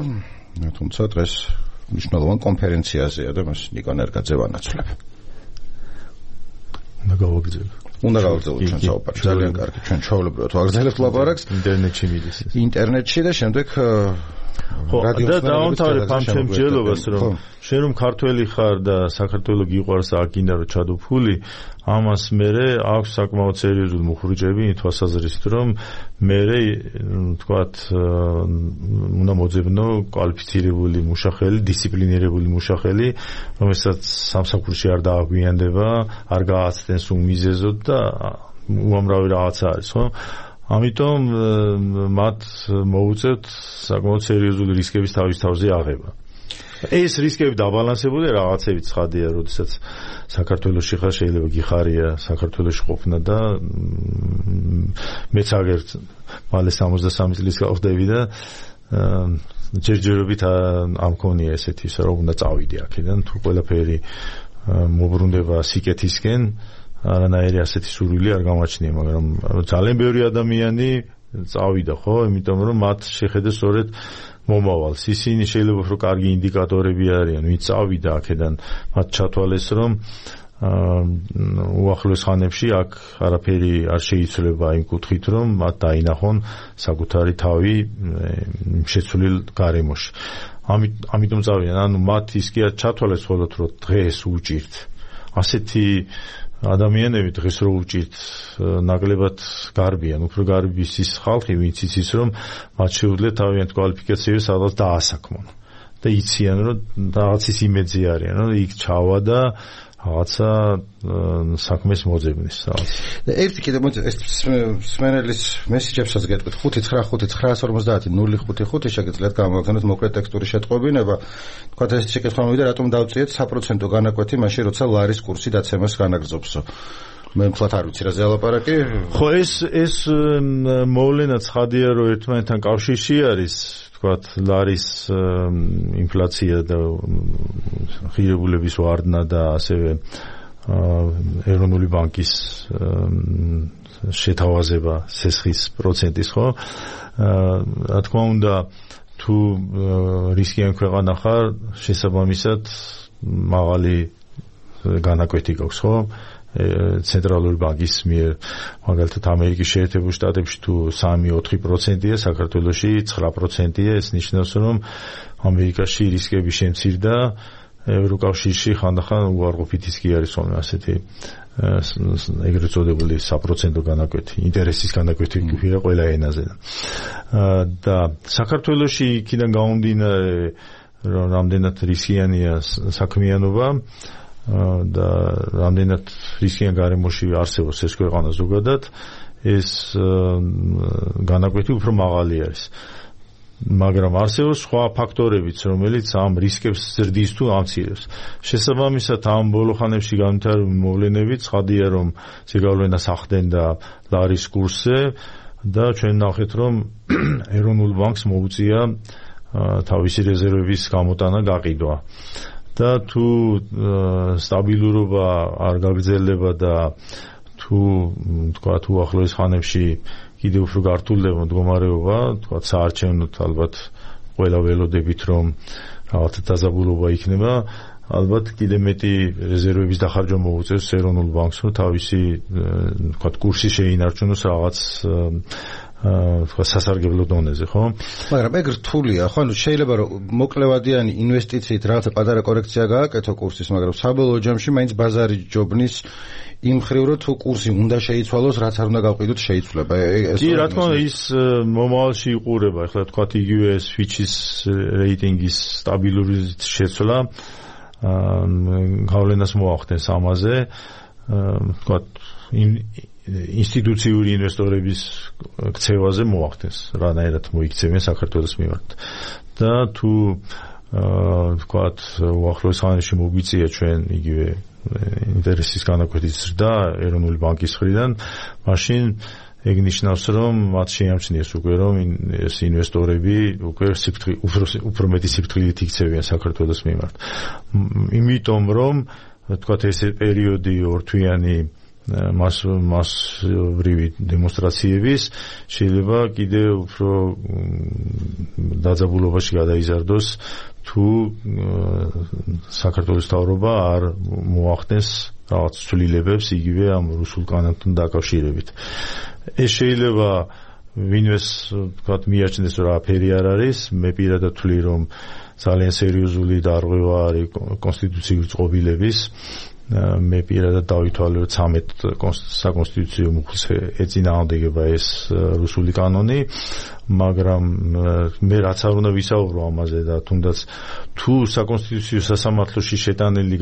თუმცა დღეს მნიშვნელოვან კონფერენციაზეა და მას ნიკო ნერგაძე ვანაცვლებ. უნდა გავაგრძელოთ ჩვენ საუბარს. ძალიან კარგი, ჩვენ ჩვეულებრივად ვაგრძელებთ ლაპარაკს ინტერნეტში მიდის. ინტერნეტში და შემდეგ და დაამთავრებ ამ შემჯელობას რომ შენ რომ ქართველი ხარ და საქართველოს გიყვარს და აგინდა რომ ჩადო ფული, ამას მერე აქვს საკმაოდ სერიოზული მუხრუჭები თვალსაზრისით რომ მერე თქვათ უნდა მოძებნო კვალიფიცირებული მუშახელი, დისციპლინირებული მუშახელი, რომელსაც სამსახურში არ დააგვიანდება, არ გააცდენს უმიზეზოდ და უამრავი რაღაცა არის, ხო? ამიტომ მათ მოუწევთ საკმაოდ სერიოზული რისკების თავის თავზე აღება. ეს რისკები დაბალანსებულია რაღაცებით ცხადია, როდესაც საქართველოში ხარ შეიძლება გიხარია საქართველოში ყოფნა და მეც აგერთ მალე 63 წლის გავხდები და ჯერჯერობით ამ მქონია ესეთი ისე რომ უნდა წავიდე აქედან თუ ყველაფერი მოbrunდება სიკეთისკენ არანაირი ასეთი სურვილი არ გამაჩნია, მაგრამ ძალიან ბევრი ადამიანი წავიდა ხო, იმიტომ რომ მათ შეხედეს სწორედ მომავალს. ისინი შეიძლება უფრო კარგი ინდიკატორები არიან, ვინც წავიდა აქედან, მათ ჩათვალეს რომ უახლოეს ხანებში აქ არაფერი არ შეიცვლება იმ კუთხით, რომ მათ დაინახონ საკუთარი თავი შეცვლილ გარემოში. ამიტომ წავიდნენ, ანუ მათ ის კი არ ჩათვალეს მხოლოდ რომ დღეს უჭირთ. ასეთი ადამიანები დღეს რო უჭირთ ნაკლებად გარბიან, უფრო გარბის ის ხალხი, ვინც იცის რომ მათ შეუძლიათ თავიანთ კვალიფიკაციებს სადღაც დაასაქმონ და იციან რომ რაღაცის იმედზე არიან, რომ იქ ჩავა და რაღაცა საქმეს მოძებნის რაღაც. ერთი კიდე მოდი ეს სმენელის მესიჯებსაც გეტყვით 59950 შეგიძლიათ გამოგზავნოთ მოკლე ტექსტური შეტყობინება. თქვათ ეს შეკითხვა მოვიდა რატომ დავწიეთ საპროცენტო განაკვეთი მაშინ როცა ლარის კურსი დაცემას განაგრძობსო. მე მთლად არ ვიცი რა ზეალაპარაკი. ხო ეს მოვლენა ცხადია რომ ერთმანეთთან კავშირში არის. თქვათ ლარის ინფლაცია და ღირებულების ვარდნა და ასევე ეროვნული ბანკის შეთავაზება სესხის პროცენტის ხო? რა თქმა უნდა თუ რისკიან ქვეყანა ხარ, შესაბამისად მაღალი განაკვეთი გვაქვს, ხო? ცენტრალური ბანკის მიერ, მაგალითად ამერიკის შეერთებულ შტატებში თუ 3-4%-ია, საქართველოში 9%-ია, ეს ნიშნავს, რომ ამერიკაში რისკები შემცირდა, ევროკავშირში ხანდახან უარყოფით ისკი არის ხოლმე ასეთი ეგრეთ წოდებული საპროცენტო განაკვეთი, ინტერესის განაკვეთი გვირა ყველა ენაზე. და საქართველოში იქიდან გამომდინარე, რომ რამდენად რისკიანია საქმიანობა და რამდენად რისკიან გარემოში არსებობს ეს ქვეყანა ზოგადად, ეს განაკვეთი უფრო მაღალი არის. მაგრამ არსებობს სხვა ფაქტორებიც, რომელიც ამ რისკებს ზრდის თუ ამცირებს. შესაბამისად, ამ ბოლო ხანებში განვითარებული მოვლენებით ცხადია, რომ ზეგავლენა სახდენდა ლარის კურსზე და ჩვენ ნახეთ, რომ ეროვნულ ბანკს მოუწია თავისი რეზერვების გამოტანა გაყიდვა. და თუ სტაბილურობა არ გაგრძელდება და თუ თქვათ უახლოეს ხანებში კიდევ უფრო გართულდება მდგომარეობა, თქვათ საარჩევნოდ ალბათ ყველა ველოდებით, რომ რაღაცა დაზაბულობა იქნება, ალბათ კიდევ მეტი რეზერვების დახარჯვა მოუწევს ეროვნულ ბანკს, რომ თავისი თქვათ კურსი შეინარჩუნოს რაღაც სასარგებლო დონეზე, ხო? მაგრამ ეგ რთულია, ხო? ანუ შეიძლება რომ მოკლევადიანი ინვესტიციით რაღაცა პატარა კორექცია გააკეთო კურსის, მაგრამ საბოლოო ჯამში მაინც ბაზარი ჯობნის იმ ხრივ რომ თუ კურსი უნდა შეიცვალოს, რაც არ უნდა გავყიდოთ, შეიცვლება. კი, რა თქმა უნდა, ის მომავალში იყურება. ახლა თქვათ იგივე Fitch-ის რეიტინგის სტაბილური შეცვლა გავლენას მოახდენს ამაზე, თქვათ ინსტიტუციური ინვესტორების ქცევაზე მოახდენს, რანაირად მოიქცევენ საქართველოს მიმართ. და თუ თქვათ უახლოეს ხანებში მოგვიწია ჩვენ იგივე ინტერესის განაკვეთის ზრდა ეროვნული ბანკის მხრიდან, მაშინ ეგ ნიშნავს, რომ მათ შეამჩნიეს უკვე, რომ ეს ინვესტორები უკვე უფრო მეტი სიფრთხილით იქცევიან საქართველოს მიმართ. იმიტომ რომ თქვათ ეს პერიოდი ორთვიანი მასობრივი დემონსტრაციების შეიძლება კიდევ უფრო დაძაბულობაში გადაიზარდოს, თუ საქართველოს მთავრობა არ მოახდენს რაღაც ცვლილებებს იგივე ამ რუსულ კანონთან დაკავშირებით. ეს შეიძლება ვინმეს თქვათ მიაჩნდეს, რომ აფერი არ არის, მე პირადად ვთვლი, რომ ძალიან სერიოზული დარღვევა არის კონსტიტუციური წყობილების. მე პირადად დავითვალე, რომ 13 საკონსტიტუციო მუხლს ეწინააღმდეგება ეს რუსული კანონი, მაგრამ მე რაც არ უნდა ვისაუბრო ამაზე და თუნდაც თუ საკონსტიტუციო სასამართლოში შეტანილი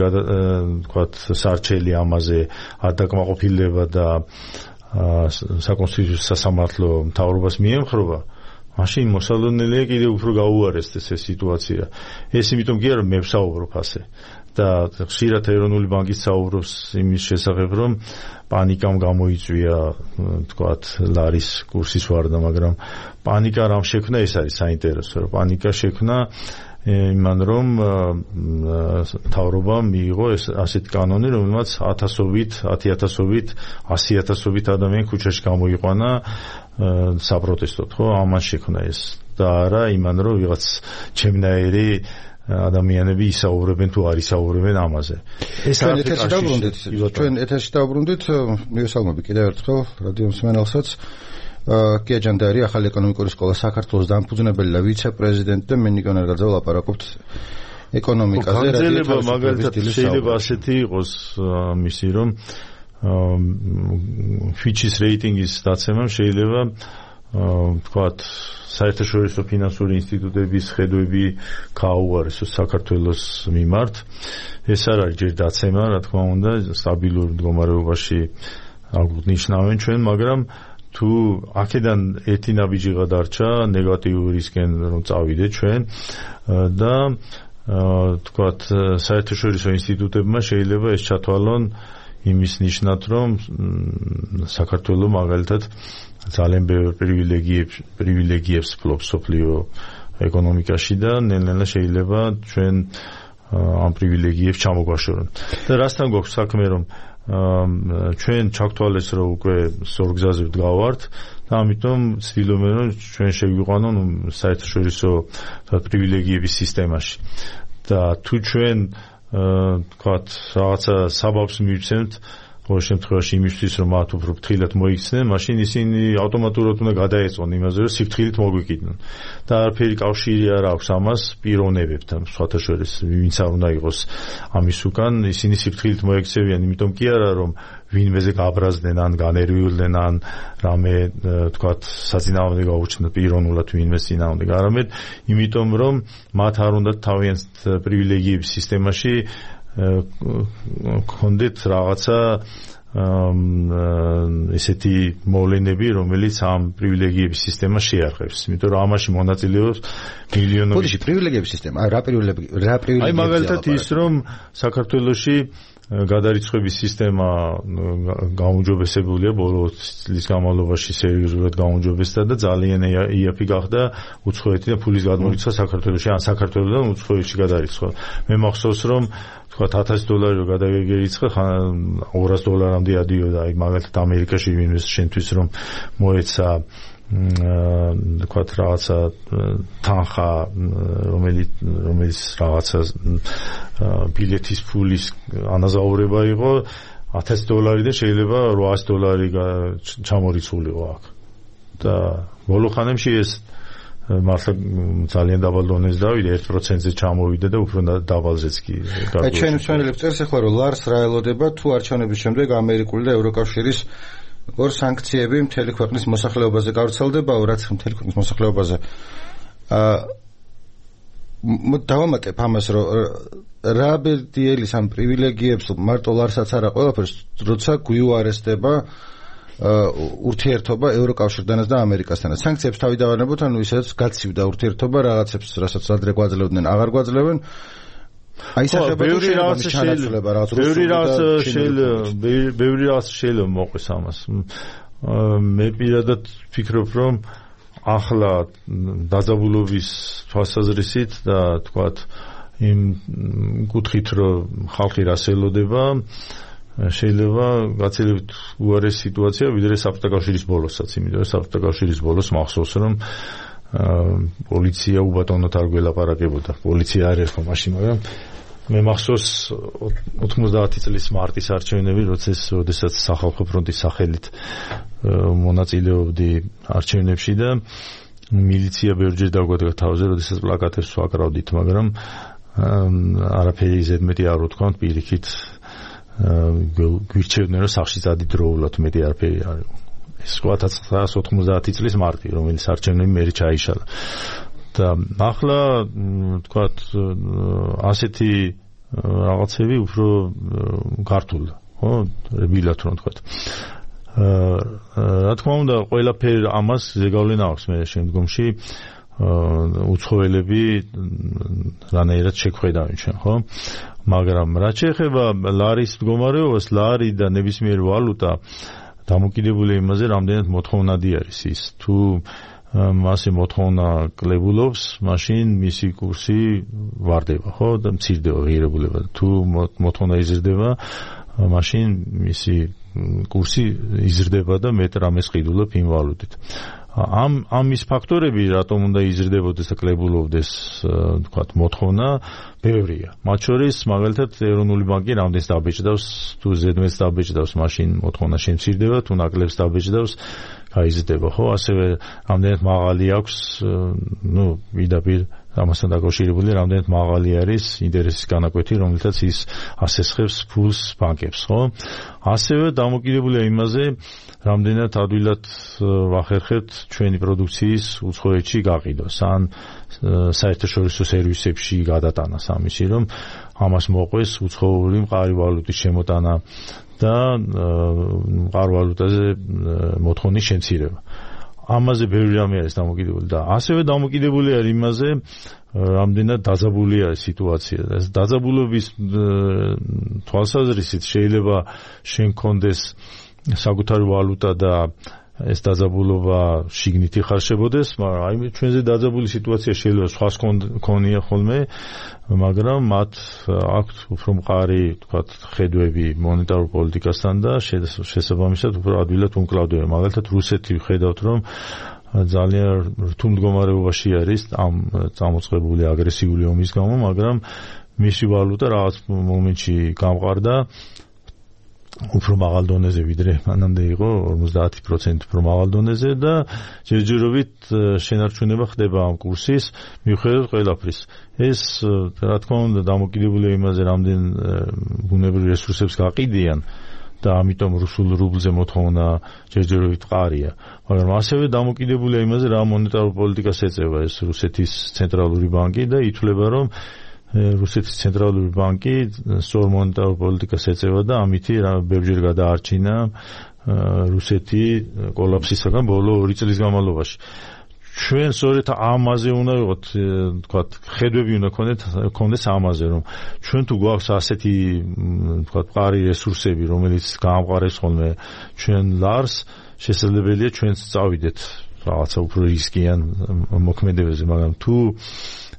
თქვათ სარჩელი ამაზე არ დაკმაყოფილდება და საკონსტიტუციო სასამართლო მთავრობას მიემხრობა, მაშინ მოსალოდნელია კიდევ უფრო გაუარესდეს ეს სიტუაცია. ეს იმიტომ კი არა, მე ვსაუბრობ ასე. და ხშირად ეროვნული ბანკის საუბრობს იმის შესახებ, რომ პანიკამ გამოიწვია თქვათ ლარის კურსის ვარდა, მაგრამ პანიკა რამ შექმნა, ეს არის საინტერესო, რომ პანიკა შექმნა იმან, რომ მთავრობამ მიიღო ეს ასეთი კანონი, რომელმაც 10,000-ით 100,000-ით ადამიანი ქუჩაში გამოიყვანა საპროტესტოდ, ხო? ამან შექმნა ეს და არა იმან, რომ ვიღაც ჩემნაირი ადამიანები ისაუბრებენ თუ არ ისაუბრებენ ამაზე. ეს ჩვენ ეთერში დავბრუნდით, მივესალმები კიდევ ერთხელ რადიო მსმენელსაც. კია ჯანდარი, ახალი ეკონომიკური სკოლა საქართველოს დამფუძნებელი და ვიცე-პრეზიდენტი და მე ნიკონ ერგაძე ვლაპარაკობთ ეკონომიკაზე. გაგრძელება მაგალითად შეიძლება ასეთი იყოს მისი, რომ Fitch-ის რეიტინგის დაცემამ შეიძლება თქვათ საერთაშორისო ფინანსური ინსტიტუტების ხედვები გააუარესოს საქართველოს მიმართ. ეს არ არის ჯერ დაცემა, რა თქმა უნდა, სტაბილურ მდგომარეობაში აღნიშნავენ ჩვენ, მაგრამ თუ აქედან ერთი ნაბიჯი გადარჩა ნეგატიურისკენ რომ წავიდეთ ჩვენ და თქვათ საერთაშორისო ინსტიტუტებმა შეიძლება ეს ჩათვალონ იმის ნიშნად, რომ საქართველოს მაგალითად ძალიან ბევრ პრივილეგიებს ფლობს სოფლიო ეკონომიკაში და ნელ-ნელა შეიძლება ჩვენ ამ პრივილეგიებს ჩამოგვაშორონ. და რასთან გვაქვს საქმე, რომ ჩვენ ჩაგთვალეს, რომ უკვე სორგზაზე ვდგავართ და ამიტომ ვცდილობენ, რომ ჩვენ შეგვიყვანონ საერთაშორისო პრივილეგიების სისტემაში. და თუ ჩვენ თქვათ რაღაცა საბაბს მივცემთ ყოველ შემთხვევაში იმისთვის რომ მათ უფრო ფრთხილად მოიქცნენ, მაშინ ისინი ავტომატურად უნდა გადაეწონ იმაზე, რომ სიფრთხილით მოგვიკიდნონ. და არაფერი კავშირი არ აქვს ამას პიროვნებებთან, სხვათა შორის ვინც არ უნდა იყოს ამის უკან, ისინი სიფრთხილით მოექცევიან, იმიტომ კი არა რომ ვინმეზე გაბრაზდნენ ან განერვიულდნენ ან რამე თქვათ საწინააღმდეგო გაუჩნდა პიროვნულად ვინმეს წინააღმდეგ, არამედ იმიტომ რომ მათ არ უნდა თავიანთ პრივილეგიების სისტემაში კონდეთ რაღაცა ესეთი მოვლენები, რომელიც ამ პრივილეგიების სისტემას შეარყევს. იმიტომ რომ ამაში მონაწილეობს მილიონობით პრივილეგიების სისტემა. რა პრივილეგია? აი მაგალითად ის რომ საქართველოში გადარიცხვების სისტემა გაუმჯობესებულია ბოლო წლის განმავლობაში სერიოზულად გაუმჯობესდა და ძალიან იაფი გახდა უცხოეთი და ფულის გადმორიცხვა საქართველოში ან საქართველოსთან უცხოეთში გადარიცხვა. მე მახსოვს რომ თქვათ $1000 რო გადაგერიცხა $200-მდე ადიოდა. აი მაგალითად ამერიკაში ვინმეს შენთვის რომ მოეცა თქვათ რაღაცა თანხა რომელიც რაღაცა ბილეთის ფულის ანაზაურება იყო $1000 და შეიძლება $800 ჩამორიცხულიყო აქ. და ბოლო ხანებში ეს მართლა ძალიან დაბალ დონეზე დავიდა 1%-ზე ჩამოვიდა და უფრო დაბალზეც კი გარკვეულ. ჩვენ მსმენელებს წერს ახლა რომ ლარს რა ელოდება თუ არჩევნების შემდეგ ამერიკული და ევროკავშირის ორ სანქციები მთელი ქვეყნის მოსახლეობაზე გავრცელდება, რაც მთელი ქვეყნის მოსახლეობაზე დავამატებ ამას, რომ რა ბედიელის ამ პრივილეგიებს მარტო ლარსაც არა ყველაფერს, როცა გვიუარესდება ურთიერთობა ევროკავშირთანაც და ამერიკასთანაც. სანქციებს თავი დავანებოთ, ანუ ისაც გაცივდა ურთიერთობა რაღაცებს, რასაც ადრე გვაძლევდნენ, აღარ გვაძლევენ. აი სახება ბევრი რაღაც შეიძლება მოყვეს ამას. მე პირადად ვფიქრობ, რომ ახლა დაძაბულობის თვალსაზრისით და თქვათ იმ კუთხით, რომ ხალხი რას ელოდება, შეიძლება გაცილებით უარესი სიტუაცია ვიდრე საბჭოთა ბოლოსაც, იმიტომ რომ საბჭოთა ბოლოს მახსოვს რომ პოლიცია უბატონოდ არ გველაპარაკებოდა. პოლიცია არ ერთხო მაშინ, მაგრამ მე მახსოვს 90 წლის მარტის არჩევნები, როდესაც სახალხო ფრონტის სახელით მონაწილეობდი არჩევნებში და მილიცია ბევრჯერ დაგვადგა თავზე, როდესაც პლაკატებს ვაკრავდით, მაგრამ არაფერი ზედმეტი არ ვთქვამთ, პირიქით გვირჩევდნენ რომ სახში წადიდროულად მეტი არაფერი არ იყო. ეს 1990 წლის მარტი, რომელიც არჩევნები მერე ჩაიშალა. და ახლა თქვათ ასეთი რაღაცები უფრო გართულდა, ხო? რბილად რომ თქვათ. რა თქმა უნდა, ყველაფერ ამას ზეგავლენა აქვს მე შემდგომში უცხოელები რანაირად შეგხვედავენ ჩვენ, ხო? მაგრამ რაც შეეხება ლარის მდგომარეობას, ლარი და ნებისმიერი ვალუტა დამოკიდებული იმაზე, რამდენად მოთხოვნადი არის ის. თუ მასე მოთხოვნა კლებულობს, მაშინ მისი კურსი ვარდება, ხო? და მცირდება ღირებულება. თუ მოთხოვნა იზრდება, მაშინ მისი კურსი იზრდება და მეტ რამეს ყიდულობ იმ ვალუტით. ამ ის ფაქტორები, რატომ უნდა იზრდებოდეს და კლებულობდეს, თქვათ, მოთხოვნა, ბევრია. მათ შორის, მაგალითად, ეროვნული ბანკი რამდენს დაბეჭდავს, თუ ზედმეტს დაბეჭდავს, მაშინ მოთხოვნა შემცირდება, თუ ნაკლებს დაბეჭდავს, გაიზრდება, ხო? ასევე რამდენად მაღალი აქვს, პირდაპირ ამასთან დაკავშირებული, რამდენად მაღალი არის ინტერესის განაკვეთი, რომელთაც ის ასესხებს ფულს ბანკებს, ხო? ასევე დამოკიდებულია იმაზე, რამდენად ადვილად ვახერხებთ ჩვენი პროდუქციის უცხოეთში გაყიდვას, ან საერთაშორისო სერვისებში გადატანას, ამისი რომ ამას მოყვეს უცხოური მყარი ვალუტის შემოტანა და მყარ ვალუტაზე მოთხოვნის შემცირება. ამაზე ბევრი რამე არის დამოკიდებული და ასევე დამოკიდებული არის იმაზე, რამდენად დაძაბულია სიტუაცია. დაძაბულობის თვალსაზრისით შეიძლება შენ გქონდეს საკუთარი ვალუტა და ეს დაძაბულობა შიგნით იხარშებოდეს, მაგრამ აი ჩვენზე დაძაბული სიტუაცია შეიძლება სხვას ქონია ხოლმე, მაგრამ მათ აქვთ უფრო მყარი, თქვათ, ხედვები მონეტარულ პოლიტიკასთან და შესაბამისად უფრო ადვილად უმკლავდებიან. მაგალითად, რუსეთი ვხედავთ, რომ ძალიან რთულ მდგომარეობაში არის ამ წამოწყებული აგრესიული ომის გამო, მაგრამ მისი ვალუტა რაღაც მომენტში გამყარდა უფრო მაღალ დონეზე ვიდრე მანამდე იყო 50% უფრო მაღალ დონეზე და ჯერჯერობით შენარჩუნება ხდება ამ კურსის მიუხედავად ყველაფრის. ეს რა თქმა უნდა დამოკიდებულია იმაზე, რამდენ ბუნებრივ რესურსებს გაყიდიან და ამიტომ რუსულ რუბლზე მოთხოვნა ჯერჯერობით მყარია. მაგრამ ასევე დამოკიდებულია იმაზე, რა მონეტარულ პოლიტიკას ეწევა ეს რუსეთის ცენტრალური ბანკი და ითვლება, რომ რუსეთის ცენტრალური ბანკი სწორ მონეტარულ პოლიტიკას ეწევა და ამით ბევრჯერ გადაარჩინა რუსეთი კოლაფსისაგან ბოლო 2 წლის განმავლობაში. ჩვენ სწორედ ამაზე უნდა ვიყოთ, თქვათ, ხედვები უნდა გქონდეს ამაზე, რომ ჩვენ თუ გვაქვს ასეთი, თქვათ, მყარი რესურსები, რომელიც გაამყარებს ხოლმე ჩვენ ლარს, შესაძლებელია ჩვენც წავიდეთ რაღაცა უფრო რისკიან მოქმედებებზე, მაგრამ თუ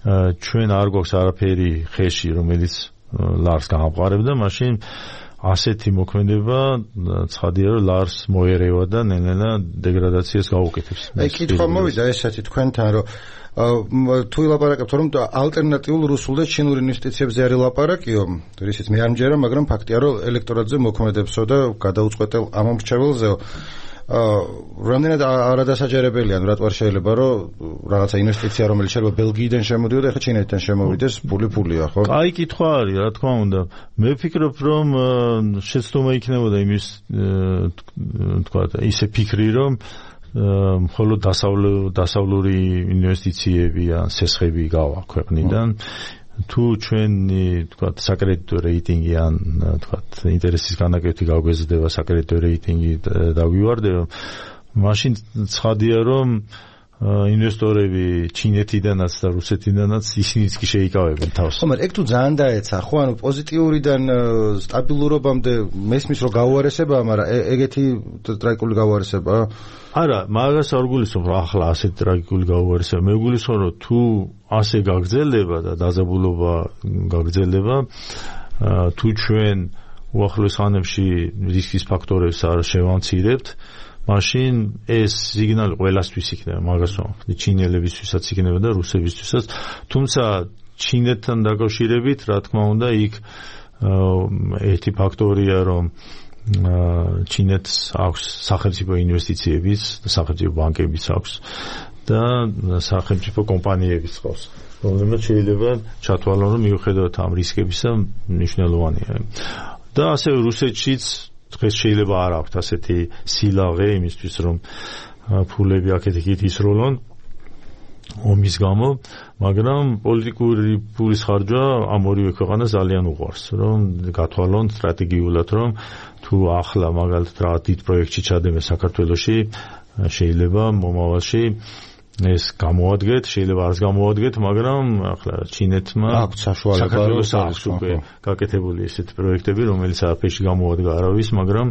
ჩვენ არ გვაქვს არაფერი ხეში, რომელიც ლარს გაამყარებდა, მაშინ ასეთი მოქმედება ცხადია, რომ ლარს მოერევა და ნელ-ნელა დეგრადაციას გაუკეთებს. აი, კითხვა მოვიდა ესეთი თქვენთან, რომ თუ ილაპარაკებთ, რომ ალტერნატიულ რუსულ და ჩინურ ინვესტიციებზე არის ლაპარაკიო, რისიც მე არ მჯერა, მაგრამ ფაქტია, რომ ელექტორატზე მოქმედებსო და გადაუწყვეტელ ამომრჩეველზეო რამდენად არადასაჯერებელია, რატომ შეიძლება რომ რაღაცა ინვესტიცია, რომელიც შეიძლება ბელგიიდან შემოდიოდა, ახლა ჩინეთიდან შემოვიდეს, ფულია, ხო? აი, კითხვა არის, რა თქმა უნდა. მე ვფიქრობ, რომ შეცდომა იქნებოდა იმის, თქვა, ისე ფიქრი, რომ მხოლოდ დასავლური ინვესტიციები ან სესხები გავა ქვეყნიდან. თუ ჩვენი, თქვათ, საკრედიტო რეიტინგი ან, თქვათ, ინტერესის განაკუთვნილება გაგვეზრდება, საკრედიტო რეიტინგი დაგვივარდება, მაშინ ცხადია, რომ ინვესტორები ჩინეთიდანაც და რუსეთიდანაც ისინიც კი შეიკავებენ თავს. მაგრამ ეგ თუ ძალიან დაეცა, ხო, ანუ პოზიტიურიდან სტაბილურობამდე მესმის რომ გაუარესებაა, მაგრამ ეგეთი ტრაგიკული გაუარესებაა? არა, მაგას არ გულისხმობ, რომ ახლა ასეთ ტრაგიკული გაუარესება. მე გულისხმობ, რომ თუ ასე გაგრძელდება და დაძაბულობა გაგრძელდება, თუ ჩვენ უახლოეს ხანებში რისკის ფაქტორებს არ შევამცირებთ, მაშინ ეს სიგნალი ყველასთვის იქნება, მაგას ვამბობ, ჩინელებისთვისაც იქნება და რუსებისთვისაც. თუმცა ჩინეთთან დაკავშირებით, რა თქმა უნდა, იქ ერთი ფაქტორია, რომ ჩინეთს აქვს სახელმწიფო ინვესტიციებიც და სახელმწიფო ბანკებიც აქვს და სახელმწიფო კომპანიებიც ყავს, რომლებიც შეიძლება ჩათვალონ, რომ მიუხედავად ამ რისკებისა მნიშვნელოვანია. და ასევე რუსეთშიც დღეს შეიძლება არ აქვს ასეთი სილაღე იმისთვის, რომ ფულები აქეთ-იქით ისროლონ ომის გამო, მაგრამ პოლიტიკური ფულის ხარჯვა ამ ორივე ქვეყანას ძალიან უყვარს, რომ გათვალონ სტრატეგიულად, რომ თუ ახლა მაგალითად რა დიდ პროექტში ჩადეμε საქართველოში, შეიძლება მომავალში ეს გამოადგეთ, შეიძლება არც გამოადგეთ, მაგრამ ახლა ჩინეთმა აქვს საშუალება საქართველოს აქვს უკვე გაკეთებული ესეთი პროექტები, რომელიც არაფერში გამოადგა არავის, მაგრამ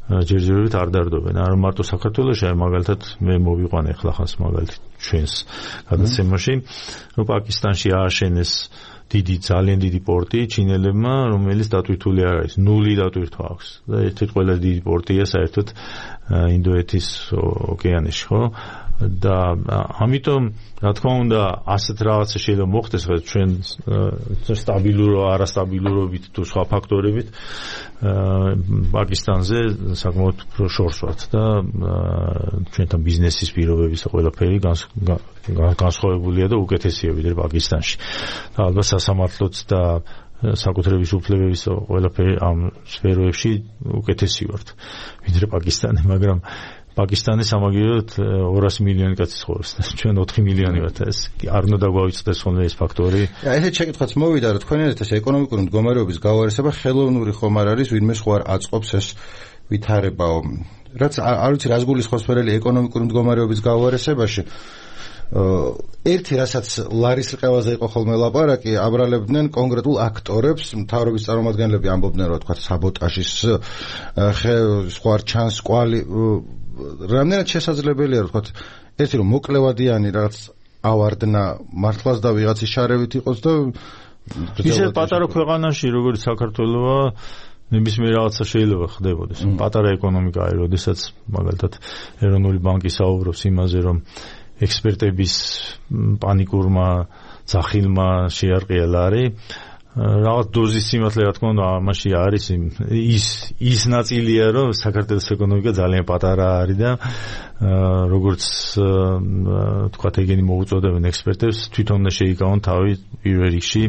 ჯერჯერობით არ დარდობენ. არ მარტო საქართველოში, აი მაგალითად მე მოვიყვანე ახლა ხანს მაგალითად ჩვენს გადაცემაში, რომ პაკისტანში ააშენეს ძალიან დიდი პორტი ჩინელებმა, რომელიც დატვირთული არ არის, 0 დატვირთვა აქვს. და ერთ-ერთი ყველაზე დიდი პორტია საერთოდ ინდოეთის ოკეანეში, ხო? და ამიტომ რა თქმა უნდა ასეთ რაღაცა შეიძლება მოხდეს, ხო, ჩვენ სტაბილურო, არასტაბილურობით თუ სხვა ფაქტორებით პაკისტანზე საკმაოდ უფრო შორს ვართ და ჩვენთან ბიზნესის პირობების ყველაფერი განსხვავებულია და უკეთესია ვიდრე პაკისტანში. და ალბათ სასამართლოც და საკუთრების უფლებების ყველაფერი ამ სფეროებში უკეთესი ვართ ვიდრე პაკისტანი, მაგრამ პაკისტანის სამაგიეროდ 200 მილიონი კაცი ცხოვრობს და ჩვენ 4 მილიონი ვართ. ეს არ უნდა დაგვაუწყდეს ხოლმე ეს ფაქტორი. ესეთ შეკითხვაც მოვიდა, რომ თქვენერთ ეს ეკონომიკური მდგომარეობის გავარესება ხელოვნური ხომ არ არის, ვინმე სხვა არ აწყობს ეს ვითარებაო. რაც არ ვიცი რას გულისხმობს ფერელი ეკონომიკური მდგომარეობის გავარესებაში. ერთი რასაც ლარის ყევაზე იყო ხოლმე ლაპარაკი, აბრალებდნენ კონკრეტულ აქტორებს, მთავრობის წარმომადგენლები ამბობდნენ, რომ თქვა საბოტაჟის სხვა ჩანს კვალი, რამდენად შესაძლებელია, რომ თქვა ერთი რომ მოკლევადიანი რაღაც ავარდნა მართლაც და ვიღაცის შარევით იყოს და ისე პატარა ქვეყანაში, როგორც საქართველოა, ნებისმიერ რაღაცა შეიძლება ხდებოდეს. პატარა ეკონომიკა არის, როდესაც მაგალითად ეროვნული ბანკი საუბრობს იმაზე, რომ ექსპერტების პანიკურმა ძახილმა შეარყია ლარი, რაღაც დოზის სიმართლე რა თქმა უნდა ამაში არის ის ნაწილია რომ საქართველოს ეკონომიკა ძალიან პატარა არის და როგორც თქვათ ეგენი მოუწოდებენ ექსპერტებს თვითონ უნდა შეიკავონ თავი პირველ რიგში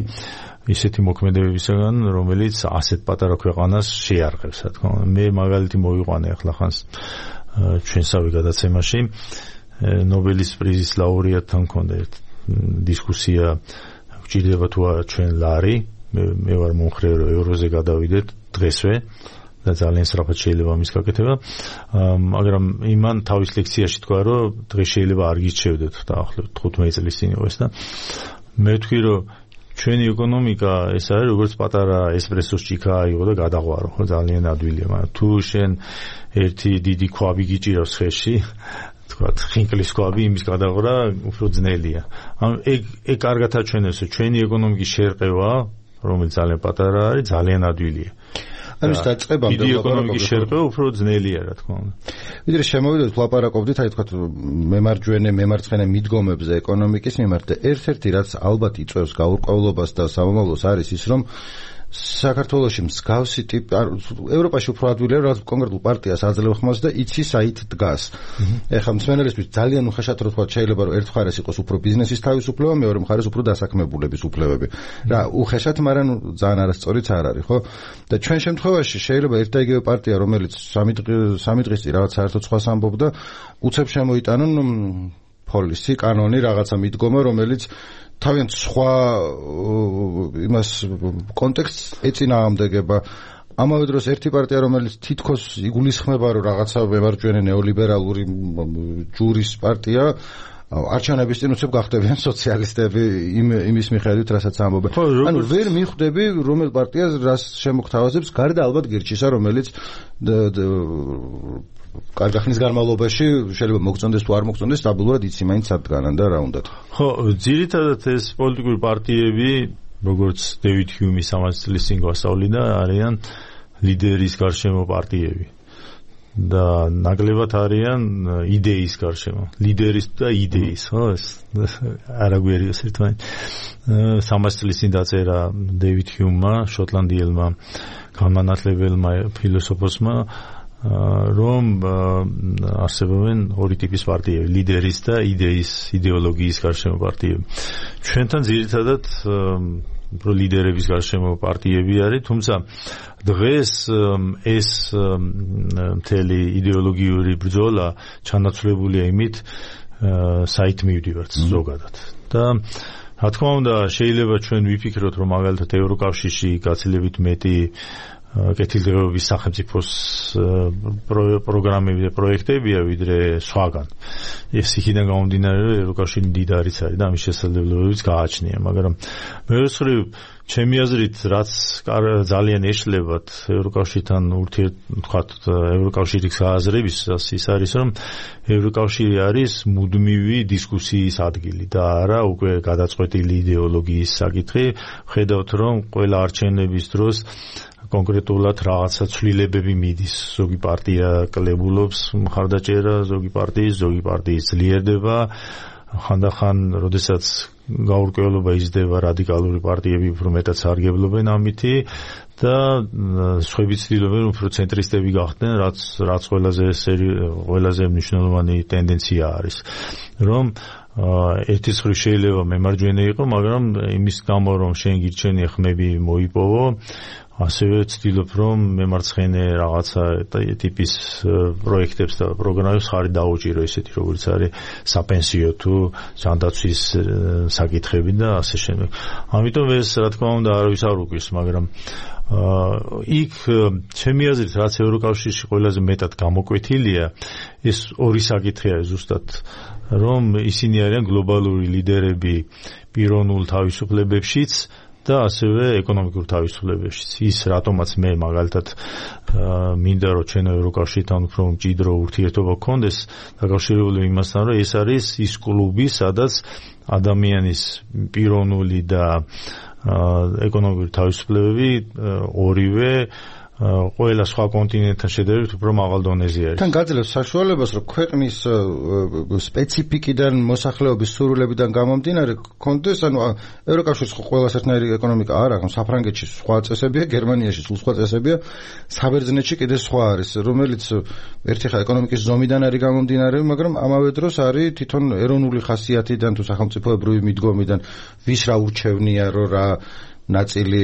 ისეთი მოქმედებებისგან რომელიც ასეთ პატარა ქვეყანას შეარყევს რა თქმა უნდა მე მაგალითი მოვიყვანე ახლა ხანს ჩვენსავე გადაცემაში ნობელის პრიზის ლაურეატთან მქონდა დისკუსია გჭირდება თუ არა ჩვენ ლარი მე ვარ მომხრე რომ ევროზე გადავიდეთ დღესვე და ძალიან სწრაფად შეიძლება ამის გაკეთება მაგრამ იმან თავის ლექციაში თქვა რომ დღეს შეიძლება არ გირჩევდეთ დაახლოებით 15 წლის წინ იყო ეს და მე ვთქვი რომ ჩვენი ეკონომიკა ეს არის როგორც პატარა ესპრესოს ჭიქა იყო და გადაღვარო ხო ძალიან ადვილია მაგრამ თუ შენ ერთი დიდი ქვაბი გიჭირავს ხელში თქვათ ხინკლის ქვაბი იმის გადაღვრა უფრო ძნელია ან ეგ კარგად აჩვენებს რომ ჩვენი ეკონომიკის შერყევა რომელიც ძალიან პატარა არის ძალიან ადვილია ამის დაწყებამდე დიდი ეკონომიკის შერყევა უფრო ძნელია რა თქმა უნდა ვიდრე შემოვიდეთ ვლაპარაკობდით აი თქვათ მემარცხენე მიდგომებზე ეკონომიკის მიმართ და ერთ-ერთი რაც ალბათ იწვევს გაურკვევლობას და სამომავლოს არის ის რომ საქართველოში მსგავსი ტიპი ევროპაში უფრო ადვილია რაღაც კონკრეტულ პარტიას აძლევ ხმას და იცის აით დგას. ეხლა მსმენელისთვის ძალიან უხეშად რო თქვა შეიძლება რომ ერთ მხარეს იყოს უფრო ბიზნესის თავისუფლება, მეორე მხარეს უფრო დასაქმებულების უფლებები. რა უხეშად, მაგრამ ძალიან არასწორიც არ არის, ხო? და ჩვენ შემთხვევაში შეიძლება ერთ და იგივე პარტია, რომელიც სამი დღის წინ რაღაც საერთოდ სხვას ამბობდა, უცებ შემოიტანონ პოლისი, კანონი, რაღაცა მიდგომა, რომელიც თავიანთ სხვა იმას კონტექსტს ეწინააღმდეგება. ამავე დროს ერთი პარტია, რომელიც თითქოს იგულისხმება, რომ რაღაცა მემარჯვენე ნეოლიბერალური ჯურის პარტია, არჩევნების წინ უცებ გახდებიან სოციალისტები იმის მიხედვით, რასაც ამბობენ. ანუ ვერ მიხვდები, რომელ პარტიას რას შემოგთავაზებს, გარდა ალბათ გირჩისა, რომელიც კარგი ხნის განმავლობაში შეიძლება მოგწონდეს თუ არ მოგწონდეს, სტაბილურად იცი მაინც სადგანან და რა უნდათ. ხო, ძირითადად ეს პოლიტიკური პარტიები, როგორც დევიდ ჰიუმი 300 წლის წინ გვასწავლიდა, არიან ლიდერის გარშემო პარტიები. და ნაკლებად არიან იდეის გარშემო. ლიდერის და იდეის, ხო? არაგვერიოს ერთმანეთს. 300 წლის წინ დაწერა დევიდ ჰიუმმა, შოტლანდიელმა განმანათლებელმა ფილოსოფოსმა რომ არსებობენ ორი ტიპის პარტიები, ლიდერის და იდეოლოგიის გარშემო პარტიები. ჩვენთან ძირითადად ლიდერების გარშემო პარტიები არის, თუმცა დღეს ეს მთელი იდეოლოგიური ბრძოლა ჩანაცვლებულია იმით, საით მივდივართ ზოგადად. და რა თქმა უნდა, შეიძლება ჩვენ ვიფიქროთ, რომ მაგალითად ევროკავშირში გაცილებით მეტი კეთილდღეობის სახელმწიფოს პროგრამები და პროექტებია ვიდრე სხვაგან. ეს იქიდან გამომდინარე, რომ ევროკავშირი მდიდარიც არის და ამის შესაძლებლობებიც გააჩნია, მაგრამ მეორე მხრივ ჩემი აზრით, რაც ძალიან ეშლებათ ევროკავშირთან ურთიერთობათ ევროკავშირის აზრების, ის არის, რომ ევროკავშირი არის მუდმივი დისკუსიის ადგილი და არა უკვე გადაწყვეტილი იდეოლოგიის საკითხი. ხედავთ, რომ ყველა არჩევნების დროს კონკრეტულად რაღაცა ცვლილებები მიდის. ზოგი პარტია კლებულობს მხარდაჭერა, ზოგი პარტიის ძლიერდება. ხანდახან, როდესაც გაურკვევლობა იზრდება, რადიკალური პარტიები უფრო მეტად სარგებლობენ ამითი და სხვები ცდილობენ უფრო ცენტრისტები გახდნენ, რაც ყველაზე მნიშვნელოვანი ტენდენცია არის. რომ ერთი მხრივ შეიძლება მემარჯვენე იყო, მაგრამ იმის გამო, რომ შენ გირჩენია ხმები მოიპოვო, ასევე ვცდილობ, რომ მემარცხენე რაღაცა ტიპის პროექტებს და პროგრამებს ხარი დაუჭირო, ისეთი როგორც არის საპენსიო თუ ჯანდაცვის საკითხები და ასე შემდეგ. ამიტომ ეს რა თქმა უნდა არავის არ უკვირს, მაგრამ იქ ჩემი აზრით, რაც ევროკავშირში ყველაზე მეტად გამოკვეთილია, ეს ორი საკითხი არის ზუსტად, რომ ისინი არიან გლობალური ლიდერები პიროვნულ თავისუფლებებშიც და ასევე ეკონომიკურ თავისუფლებებშიც. ის რატომაც მე მაგალითად მინდა რომ ჩვენ ევროკავშირთან უფრო მჭიდრო ურთიერთობა გქონდეს, დაკავშირებული იმასთან, რომ ეს არის ის კლუბი, სადაც ადამიანის პიროვნული და ეკონომიკური თავისუფლებები ორივე ყველა სხვა კონტინენტთან შედარებით უფრო მაღალ დონეზე არის. თან გაძლევს საშუალებას, რომ ქვეყნის სპეციფიკიდან, მოსახლეობის სურვილებიდან გამომდინარე კონდეს, ანუ ევროკავშირის ყველა ერთნაირი ეკონომიკა არ აქვს, საფრანგეთში სხვა წესებია, გერმანიაში სულ სხვა წესებია, საბერძნეთში კიდე სხვა არის, რომელიც ერთი ხა ეკონომიკის ზომიდან არის გამომდინარე, მაგრამ ამავე დროს არის თვითონ ეროვნული ხასიათიდან თუ სახელმწიფოებრივი მიდგომიდან, ვის რა ურჩევნია, რომ რა ნაწილი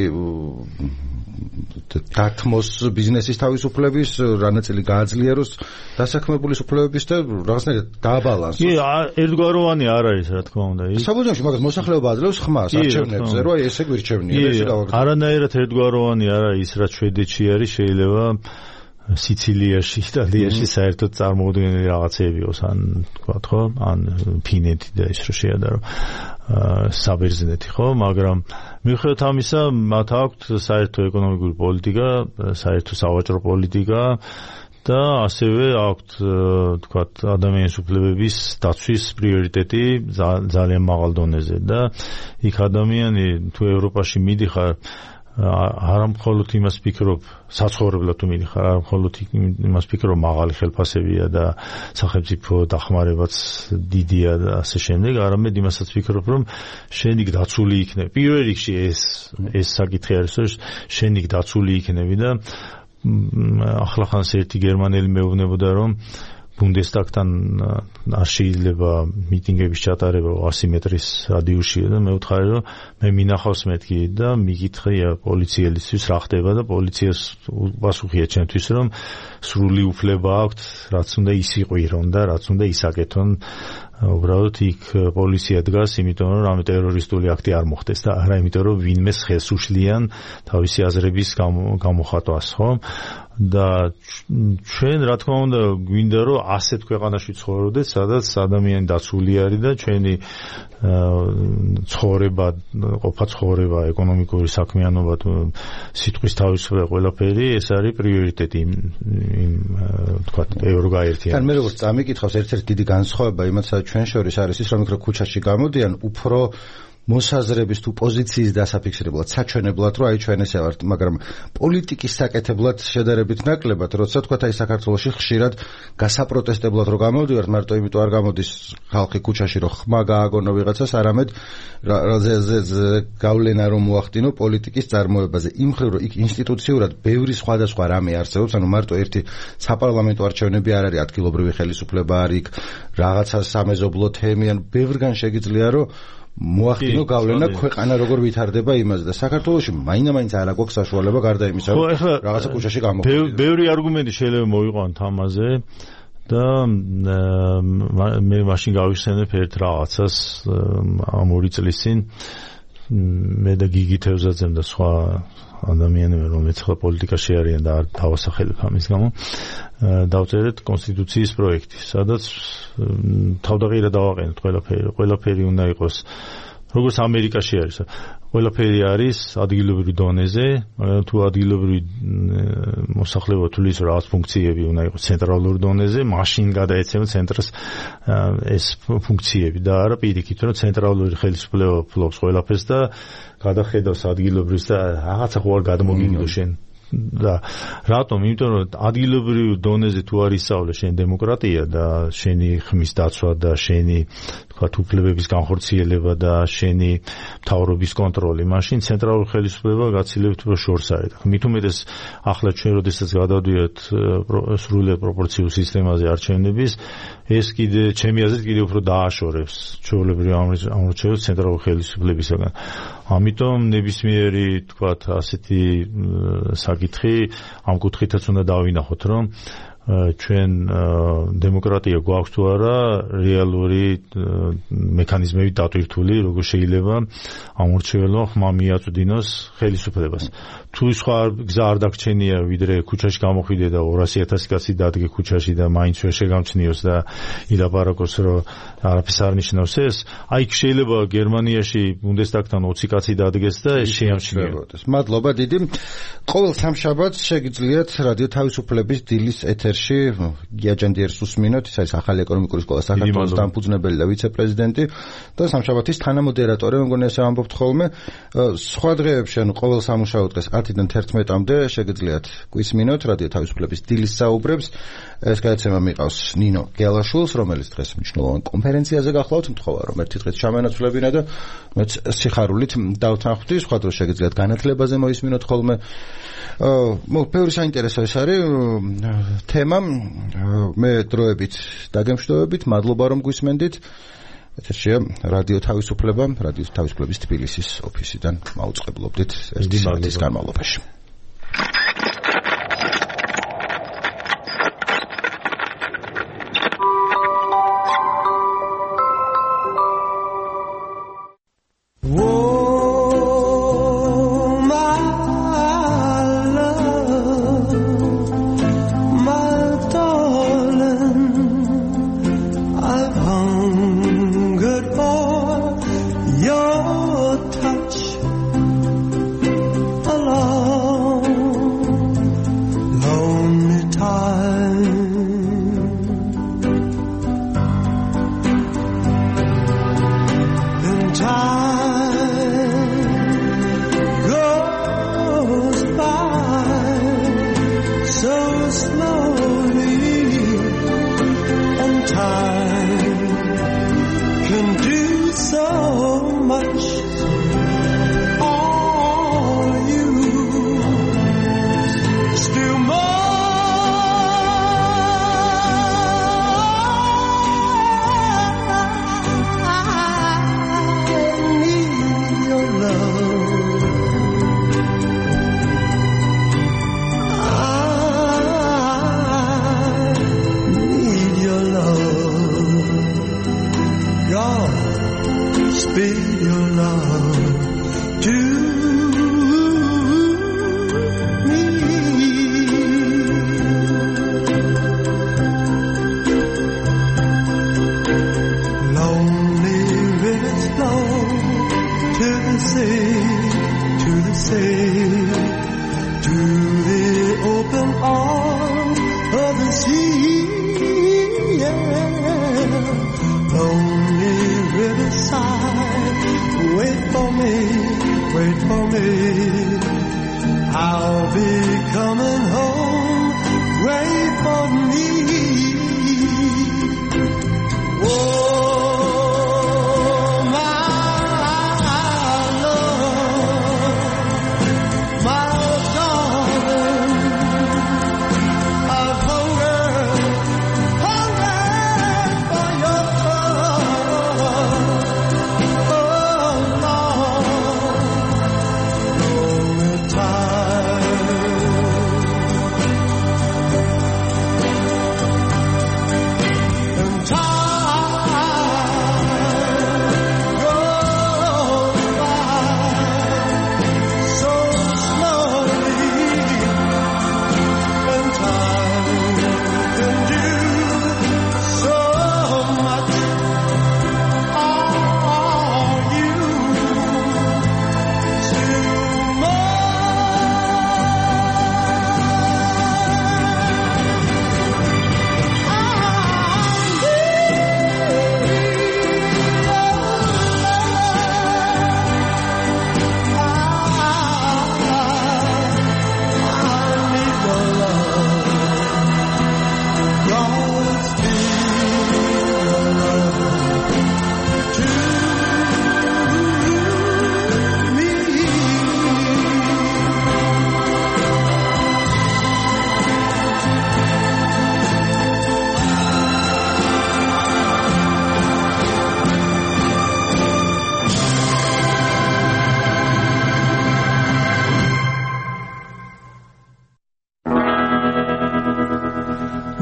დათმოს ბიზნესის თავისუფლების, რა ნაწილი გააძლიეროს დასაქმებულის უფლებების და რაღაცნაირად დააბალანსოს. კი, ერთგვაროვანი არ არის, რა თქმა უნდა. საბუჯოში მაგას მოსახლეობა აძლევს ხმას არჩევნებზე, რომ ესე გვირჩევნია. არანაირად ერთგვაროვანი არ არის ის, რაც შვედეთში არის, შეიძლება სიცილიაში, იტალიაში საერთოდ წარმოუდგენელი რაღაცები იყოს, ან თქვა ხო, ან ფინეთი და ის რო შეადარო საბერძნეთი, ხო, მაგრამ მიუხედავად ამისა, მათ აქვთ საერთო ეკონომიკური პოლიტიკა, საერთო სავაჭრო პოლიტიკა და ასევე აქვთ, თქვა, ადამიანის უფლებების დაცვის პრიორიტეტი ძალიან მაღალ დონეზე და იქ ადამიანი თუ ევროპაში მიდიხარ არა მხოლოდ იმას ფიქრობ, საცხოვრებლად თუ მიდიხარ, არა მხოლოდ იმას ფიქრობ, მაღალი ხელფასებია და სახელმწიფო დახმარებაც დიდია და ასე შემდეგ, არამედ იმასაც ფიქრობ, რომ შენ იქ დაცული იქნები. პირველ რიგში ეს საკითხი არის, რომ შენ იქ დაცული იქნები და ახლახანს ერთი გერმანელი მეუბნებოდა, რომ ბუნდესტაგთან არ შეიძლება მიტინგების ჩატარება 100 მეტრის რადიუსში და მე ვთხარი, რომ მე მინახავს მეთქი და მიკითხია პოლიციელისთვის რა ხდება და პოლიციას პასუხია ჩემთვის, რომ სრული უფლება აქვთ, რაც უნდა ისიყვირონ და რაც უნდა ისაკეთონ. უბრალოდ იქ პოლიცია დგას, იმიტომ რომ რამე ტერორისტული აქტი არ მოხდეს და არა იმიტომ რომ ვინმეს ხელს უშლიან თავისი აზრების გამოხატვას, ხო? და ჩვენ რა თქმა უნდა გვინდა რომ ასეთ ქვეყანაში ცხოვრობდეთ, სადაც ადამიანი დაცული არის და ჩვენი ცხოვრება, ყოფა ცხოვრება, ეკონომიკური საქმიანობა, სიტყვის თავისუფლება, ყველაფერი ეს არის პრიორიტეტი იმ თქვა ევროგაერთიანებას. თან მე როგორც წამიკითხავს, ერთ-ერთი დიდი განსხვავება იმაცა ჩვენ შორის არის ის, რომ იქ ქუჩაში გამოდიან უფრო მოსაზრების თუ პოზიციის დასაფიქსირებლად, საჩვენებლად, რომ აი ჩვენ ესე ვართ, მაგრამ პოლიტიკის საკეთებლად შედარებით ნაკლებად, როცა თქვა აი საქართველოში ხშირად გასაპროტესტებლად რომ გამოდივართ, მარტო იმიტომ არ გამოდის ხალხი ქუჩაში, რომ ხმა გააგონო ვიღაცას, არამედ გავლენა რომ მოახდინო პოლიტიკის წარმოებაზე. იმ მხრივ რომ იქ ინსტიტუციურად ბევრი სხვადასხვა რამე არსებობს, ანუ მარტო ერთი საპარლამენტო არჩევნები არ არის, ადგილობრივი ხელისუფლება არის იქ, რაღაცა სამეზობლო თემი, ან ბევრგან შეგიძლია რომ მოახდინო გავლენა ქვეყანა როგორ ვითარდება იმაზე და საქართველოში მაინდა-მაინც არ აქვს საშუალება გარდა იმისა, რომ რაღაცა ქუჩაში გამოხდეს. ბევრი არგუმენტი შეიძლება მოვიყვანოთ ამაზე და მე მაშინ გავიხსენებ ერთ რაღაცას ამ 2 წლის წინ მე და გიგი თევზაძემ და სხვა ადამიანები, რომლებიც ხო პოლიტიკაში არიან და არ დავასახელებ ამის გამო, დავწერეთ კონსტიტუციის პროექტი, სადაც თავდაღირა დავაყენეთ ყველაფერი უნდა იყოს როგორც ამერიკაში არის. ყველაფერი არის ადგილობრივი დონეზე, მაგრამ თუ ადგილობრივი მოსახლეობა თulis რაღაც ფუნქციები უნდა იყოს ცენტრალურ დონეზე, მაშინ გადაეცემა ცენტრს ეს ფუნქციები და არა პირიქით, რომ ცენტრალური ხელისუფლება ფლობს ყველაფერს და გადახედავს ადგილობრივს და რაღაცა ხო არ გადმოგიგდო შენ. და რატომ? იმიტომ რომ ადგილობრივ დონეზე თუ არ ისწავლე შენ დემოკრატია და შენი ხმის დაცვა და შენი თქვათ უფლებების განხორციელება და შენი მთავრობის კონტროლი, მაშინ ცენტრალური ხელისუფლება გაცილებთ უფრო შორს არის. მით უმეტეს ახლა ჩვენ როდესაც გადავდივართ სრულად პროპორციულ სისტემაზე არჩევნების, ეს კიდე ჩემი აზრით კიდე უფრო დააშორებს ჩვეულებრივ ამორჩეულს ცენტრალური ხელისუფლებისგან. ამიტომ ნებისმიერი თქვათ ასეთი საკითხი ამ კუთხითაც უნდა დავინახოთ, რომ ჩვენ დემოკრატია გვაქვს თუ არა რეალური მექანიზმებით დატვირთული, როგორ შეიძლება ამორჩეულმა ხმა მიაწვდინოს ხელისუფლებას. თუ სხვა გზა არ დაგჩენია, ვიდრე ქუჩაში გამოხვიდე და 200,000 კაცი დადგე ქუჩაში და მაინც ვერ შეგამჩნიოს და ილაპარაკოს, რომ არაფერს არ ნიშნავს ეს, აი შეიძლება გერმანიაში ბუნდესტაგთან 20 კაცი დადგეს და ეს შეამჩნიოს. მადლობა დიდი. ყოველ სამშაბათს შეგიძლიათ რადიო თავისუფლების დილის ეთერში ეთერში გიაჯანდიერს უსმინოთ, ის არის ახალი ეკონომიკური სკოლა საქართველოს დამფუძნებელი და ვიცე-პრეზიდენტი და სამშაბათის თანამოდერატორი, მეგონი ასე ამბობთ ხოლმე. სხვა დღეებში, ანუ ყოველ სამუშაო დღეს 10-დან 11-მდე შეგიძლიათ გვისმინოთ რადიო თავისუფლების დილის საუბრებს. ეს გადაცემა მიყავს ნინო გელაშვილს, რომელიც დღეს მნიშვნელოვან კონფერენციაზე გახლავთ, მთხოვა რომ ერთი დღეს ჩამენაცვლებინა და მეც სიხარულით დავთანხმდი, სხვა დროს შეგიძლიათ განათლებაზე მოისმინოთ ხოლმე. ბევრი საინტერესო ეს არის თემა. მე დროებით დაგემშვიდობებით, მადლობა რომ გვისმენდით. ეთერშია რადიო თავისუფლება, რადიო თავისუფლების თბილისის ოფისიდან მაუწყებლობდით ერთი საათის განმავლობაში.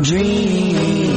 Dream